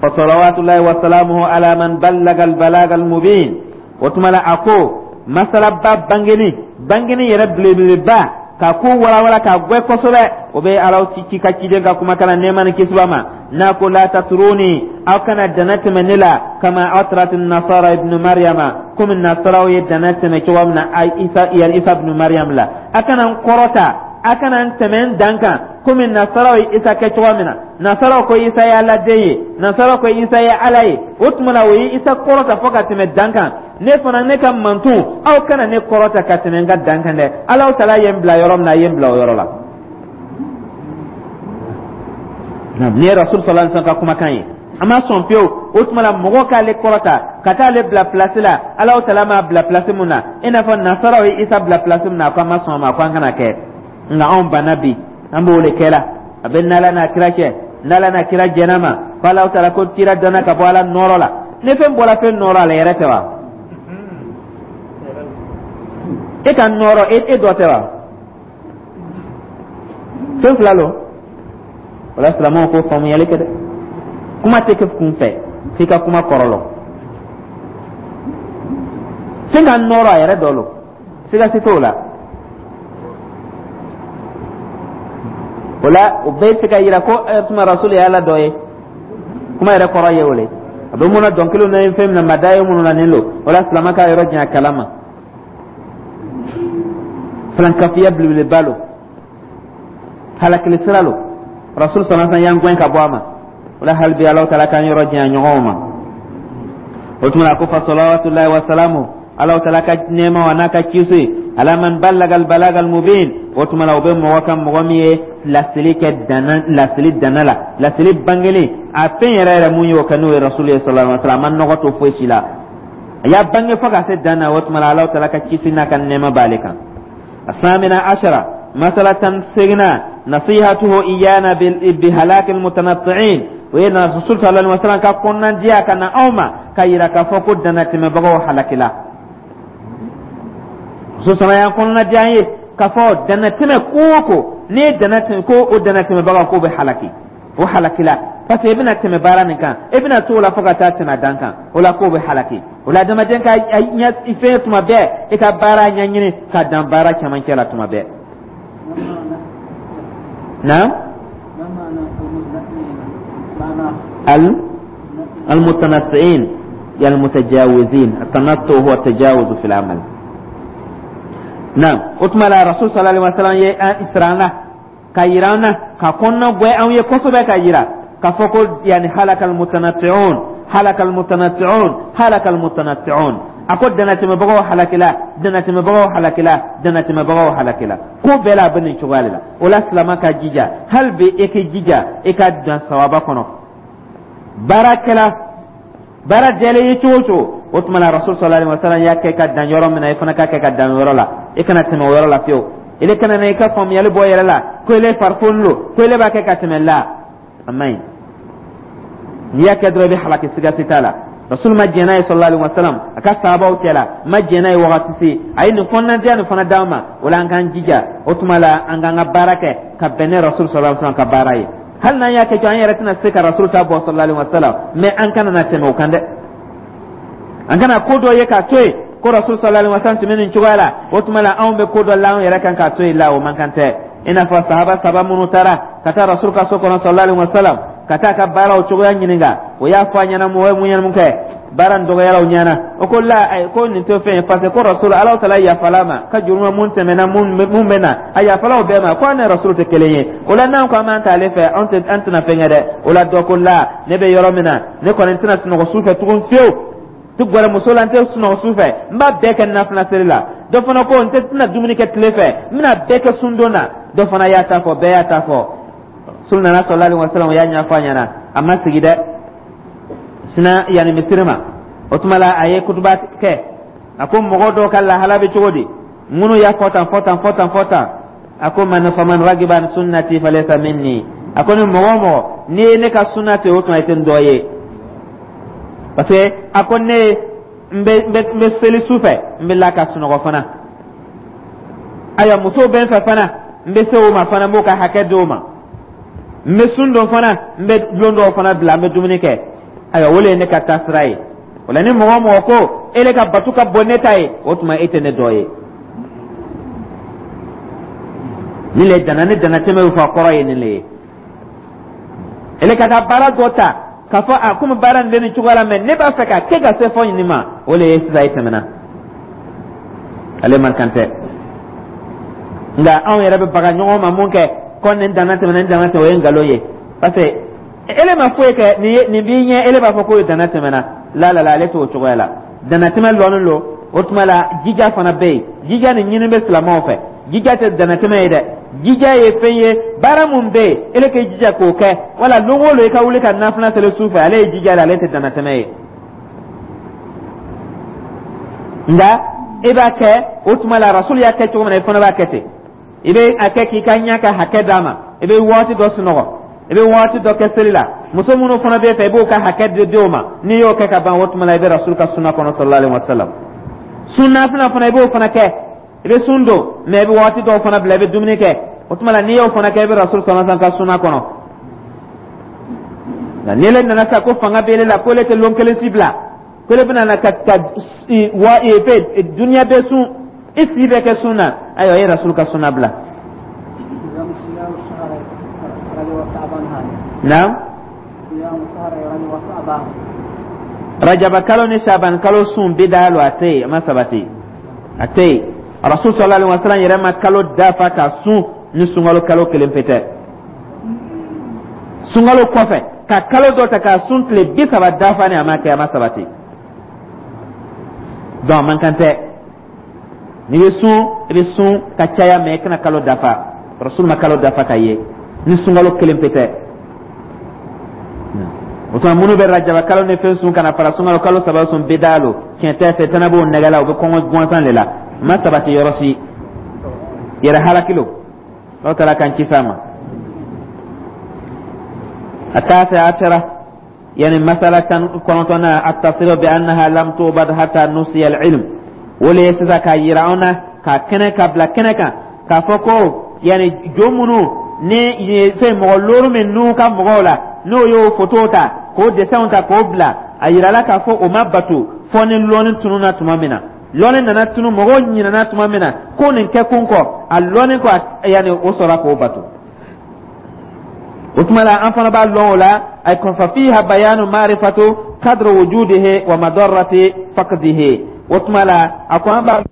فصلوات الله وسلامه على من بلغ البلاغ المبين. وتملا أكو مسألة باب بانجني بانجني يرب ba ka ko walawala ka gwɛ kosɛbɛ, o bɛ Alaw ci ci ka ciden ka kuma kana nɛɛma ni kisi b'a ma, n'a ko la tatruni, aw kana dana tɛmɛ ne la, kama atrat nasara ibnu Maryama, komi nasaraw ye dana tɛmɛ cogo min na Isa, yan Isa ibnu Maryam la. A kana n kɔrɔta, a kana n tɛmɛ n dan kan, komi nasaraw ye Isa kɛ cogo min na. Nasaraw ko Isa ye Ala den ye, nasaraw ko Isa ye Ala ye. O tuma na, o ye Isa kɔrɔta fo ka tɛmɛ dan kan. Ne fana, ne ka mantun, aw kana ne kɔrɔta ka tɛmɛ n ka dan kan dɛ. Alaw Tala ye n bila yɔrɔ min na, a ye n bila o yɔrɔ la. Nin ye Rasul sallallahu alaihi wasallam ka kumakan ye, an ma sɔn fiyewu. O tuma la, mɔgɔ k'ale kɔrɔta ka taa ale bila pilasi la Alaw Tala m'a bila pilasi mun na, i n'a fɔ nasaraw ye Isa bila pilasi mun na, a ko an ma sɔn a ma, ko an kana kɛ. Nka anw banna bi, an b'o de kɛ la. A bɛ n'Ala n'a kira cɛ, n'Ala n'a kira jɛn'a ma, ko Alaw Tala ko kira danna ka bɔ Ala nɔɔrɔ la. Ni fɛn bɔra fɛn nɔɔrɔ la, yɛrɛ tɛ wa? E ka nɔɔrɔ, e e dɔ tɛ wa? Fɛn fila lo. O la, silamɛw ko faamuyali kɛ dɛ, kuma tɛ kɛ kun fɛ f'i ka kuma kɔrɔ lɔn. Fɛn ka nɔɔrɔ, a yɛrɛ dɔ lo, siga si t'o la. O la, o bɛɛ se ka yira ko tuma Rasul ye Ala dɔ ye. Kuma yɛrɛ kɔrɔ ye o le, a bɛ mun na dɔnkiliw na, fɛn min na mada ye minnu na nin lo. O la, silamɛ ka yɔrɔ janya kalama, filankafiya belebeleba lo, halakili sira lo. Rasul sallallahu alaihi wasallam y'an gɛn ka bɔ a ma. O la, hali bi Alahu Taala k'an yɔrɔ janya ɲɔgɔnw ma. O tuma la, ko fa salawatullahi wa salamu, Alahu Taala ka nɛɛma wa n'a ka kisi, ala man ballaga albalaga almubin. O tuma la, o bɛ mɔgɔ kan, mɔgɔ min ye laseli kɛ dana, laseli dana la, laseli bangelen, a fɛn yɛrɛ yɛrɛ mun y'o kɛ, n'o ye Rasul ye sallallahu alaihi wasallam. A ma nɔgɔ to foyi si la, a y'a bange fo ka se dan na. O tuma la, Alahu Taala ka kisi n'a ka nɛɛma b'ale kan. الثامنة عشرة مسألة سجنا نصيحته إيانا بهلاك المتنطعين وإن الرسول صلى الله عليه وسلم كنا جيا كنا أوما كيرا كفوكو دنا تمبغو حلقلا. Rasul sallallahu alaihi wasallam kɔnɔna diya ye k'a fɔ dannatɛmɛ ko o ko, n'i ye dannatɛmɛ ko o dannatɛmɛbaga ko bɛ halaki, o halakila, parce que i bɛna tɛmɛ baara min kan, i bɛna t'o la fo ka taa tɛmɛ dan kan. O la, k'o bɛ halaki. O la, adamaden ka ɲɛ fɛn tuma bɛɛ, i ka baara ɲɛɲini ka dan baara cɛmancɛ la tuma bɛɛ. Naam, al المتنطعين المتجاوزين، التنطع هو التجاوز في العمل. نعم، o tuma la, Rasul sallallahu alaihi wasallam ye siran na ka yira an na, ka kɔnɔna gwɛ anw ye kosɛbɛ, ka yira k'a fɔ ko yani halaka almutanatti'un, halaka almutanatti'un, halaka almutanatti'un. A ko dannatɛmɛbagaw halakila, dannatɛmɛbagaw halakila, dannatɛmɛbagaw halakila. Ko bɛɛ la, a bɛ nin cogoya de la. O la, silama ka jija hali bi, e k'i jija i ka dan sawaba kɔnɔ. Baarakɛla baara jɛlen ye cogo o cogo, o tuma la, Rasul sallallahu alaihi wasallam y'a kɛ ka dan yɔrɔ min na, i fana k'a kɛ ka dan yɔrɔ la. I kana tɛmɛ o yɔrɔ la fiyewu. Ile kana na i ka faamuyali bɔ yɛrɛ la ko ile farifoni lo, ko ile b'a kɛ ka tɛmɛ la, a man ɲi. N'i y'a kɛ dɔrɔn, i bɛ halaki, siga si t'a la. Rasul ma jɛn n'a ye sallallahu alaihi wasallam, a ka sahabaw cɛ la ma jɛn n'a ye wagati se. A ye nin kɔnɔnadiya nin fana d'an ma. O la, an k'an jija. O tuma la, an k'an ka baara kɛ ka bɛn ne Rasul sallallahu alaihi wasallam ka baara ye. Hali n'an y'a kɛ cogo, an yɛrɛ tɛna se ka Rasul ta bɔ sallallahu alaihi wasallam, mais an kana na tɛmɛ o kan dɛ. An kana ko dɔ ye k'a to yen. Ko Rasul sallallahu alaihi wasallam tun bɛ nin cogoya la. O tuma la, anw bɛ ko dɔ la anw yɛrɛ kan k'a to yen la, o man kan tɛ. I n'a fɔ sahaba saba minnu taara ka taa Rasul ka so kɔnɔ sallallahu alaihi wasallam, ka taa ka baaraw cogoya ɲininka, o y'a fɔ a ɲɛna mɔgɔ ye mun ɲɛna, mun kɛ, baara nin dɔgɔyara o ɲɛna. O ko la, ko nin tɛ fɛn ye, parce que ko Rasul, Ala taala yafala ma ka jurumu mun tɛmɛna, mun mun bɛ na, a yafala o bɛɛ ma. Ko an ni Rasul tɛ kelen ye. O la, n'an ko an b'an t'ale fɛ, an tɛ, an tɛna fɛn kɛ dɛ. O la, dɔ ko la, ne bɛ yɔrɔ min na, ne kɔni tɛna sunɔgɔ su fɛ tugun fiyewu, tɛ gɛrɛ muso la, n tɛ sunɔgɔ su fɛ, n b'a bɛɛ kɛ nafila seli la. Dɔ fana ko n tɛ tɛna dumuni kɛ tile fɛ, n bɛna bɛɛ kɛ sundon na. Dɔ fana y'a ta fɔ, bɛɛ y'a ta fɔ. Rasul nana sallallahu alaihi wasallam, o y'a ɲɛfɔ a ɲɛna. A ma sigi dɛ, sina yanni misiri ma. O tuma la, a ye kutuba kɛ. A ko mɔgɔ dɔw ka lahala bɛ cogo di? Minnu y'a fɔ tan, fɔ tan, fɔ tan, fɔ tan. A ko man faman ragiba an sunnati falaysa minni. A ko ni mɔgɔ o mɔgɔ n'i ye ne ka sunna to yen, o tuma i tɛ n dɔ ye, parce que a ko ne n bɛ n bɛ n bɛ seli su fɛ, n bɛ la ka sunɔgɔ fana. Ayiwa, musow bɛ n fɛ fana, n bɛ se o ma fana, n b'o ka hakɛ di o ma. N bɛ sun don fana, n bɛ lon dɔw fana bila, n bɛ dumuni kɛ. Ayiwa, o de ye ne ka taasira ye. O la, ni mɔgɔ o mɔgɔ ko ele ka batu ka bon ne ta ye, o tuma e tɛ ne dɔ ye. Nin le dana ni danatɛmɛ bɛ fɔ, a kɔrɔ ye nin le ye. Ele ka taa baara dɔ ta k'a fɔ a komi baara nin bɛ nin cogoya la, mɛ ne b'a fɛ ka kɛ ka se fɔ nin ma, o le ye sisan e tɛmɛna ale man kan tɛ. Nka anw yɛrɛ bɛ baga ɲɔgɔn ma mun kɛ ko nin danna tɛmɛna, nin danna tɛmɛna, o ye nkalon ye, parce que ele ma foyi kɛ. Nin ye nin b'i ɲɛ, ele b'a fɔ k'o ye danna tɛmɛna. La la la, ale t'o cogoya la. Danatɛmɛ lɔnnen lo. O tuma la, jija fana bɛ yen. Jija nin ɲini bɛ silamɛw fɛ. Jija tɛ danatɛmɛ ye dɛ. Jija ye fɛn ye, baara mun bɛ yen, ele k'i jija k'o kɛ. Wala lon o lon i ka wuli ka nafila seli su fɛ, ale ye jija de, ale tɛ danatɛmɛ ye. Nka e b'a kɛ, o tuma la, Rasul y'a kɛ cogo min na, i fana b'a kɛ ten. I bɛ a kɛ k'i ka ɲɛ ka hakɛ d'a ma. I bɛ waati dɔ sunɔgɔ, i bɛ waati dɔ kɛ seli la. Muso minnu fana b'e fɛ, i b'o ka hakɛ di di o ma. N'i y'o kɛ ka ban, o tuma la, i bɛ Rasul ka sunna kɔnɔ sallallahu alaihi wa sallam. Sun nafila fana, i b'o fana kɛ. I bɛ sun don, mɛ i bɛ waati dɔw fana bila, i bɛ dumuni kɛ. O tuma la, n'i y'o fana kɛ, i bɛ Rasul sallallahu alaihi wa sallam ka sunna kɔnɔ. Nka ni ele nana sa ko fanga bɛ ele la, ko ele tɛ lon kelen si bila, ko ele bɛna na ka ka wa fɛ duniya bɛɛ sun, i si bɛ kɛ sun na, ayiwa, i ye Rasul ka sunna bila. Naam. Rajaba kalo ni Shaban kalo sun, bida lo, a tɛ yen, a ma sabati, a tɛ yen. Rasul sallallahu alaihi wasallam yɛrɛ ma kalo dafa ka sun ni sunkalo kalo kelen pe tɛ. Sunkalo kɔfɛ ka kalo dɔ ta k'a sun tile bi saba dafa ni, a ma kɛ, a ma sabati. Donc a man kan tɛ. N'i bɛ sun, i bɛ sun ka caya, mɛ i kana kalo dafa. Rasul ma kalo dafa ka ye ni sunkalo kelen pe tɛ. O tuma, minnu bɛ rajaba kalo ni fɛn sun ka na fara sunkalo kalo saba sun, bida lo, tiɲɛ tɛ. Sɛtana b'o nɛgɛ la, u bɛ kɔngɔ gansan de la, a ma sabati yɔrɔ si. Yɛrɛ halaki lo. N'o taara k'an kisi a ma. التاسع عشرة، يعني مسألة كنتنا التصريح بأنها لم توبد حتى نسي العلم. وليس ka yira an na ka kɛnɛ ka bila kɛnɛ kan k'a fɔ ko yani jo minnu ni fɛn mɔgɔ looru min n'u ka mɔgɔw la, n'o y'o foto ta k'o dessinw ta k'o bila, a yirala k'a fɔ o ma bato fɔ ni lɔnni tununna tuma min na. Lɔnni nana tunu, mɔgɔw ɲinɛna tuma min na ko nin kɛ kun kɔ a lɔnni kɔ, yani o sɔrɔ k'o bato. O tuma la, an fana b'a lɔn o la. Ay ko fa fiha bayanu ma'rifatu qadru wujudihi wa madarrati faqdihi. O tuma la, a ko an b'a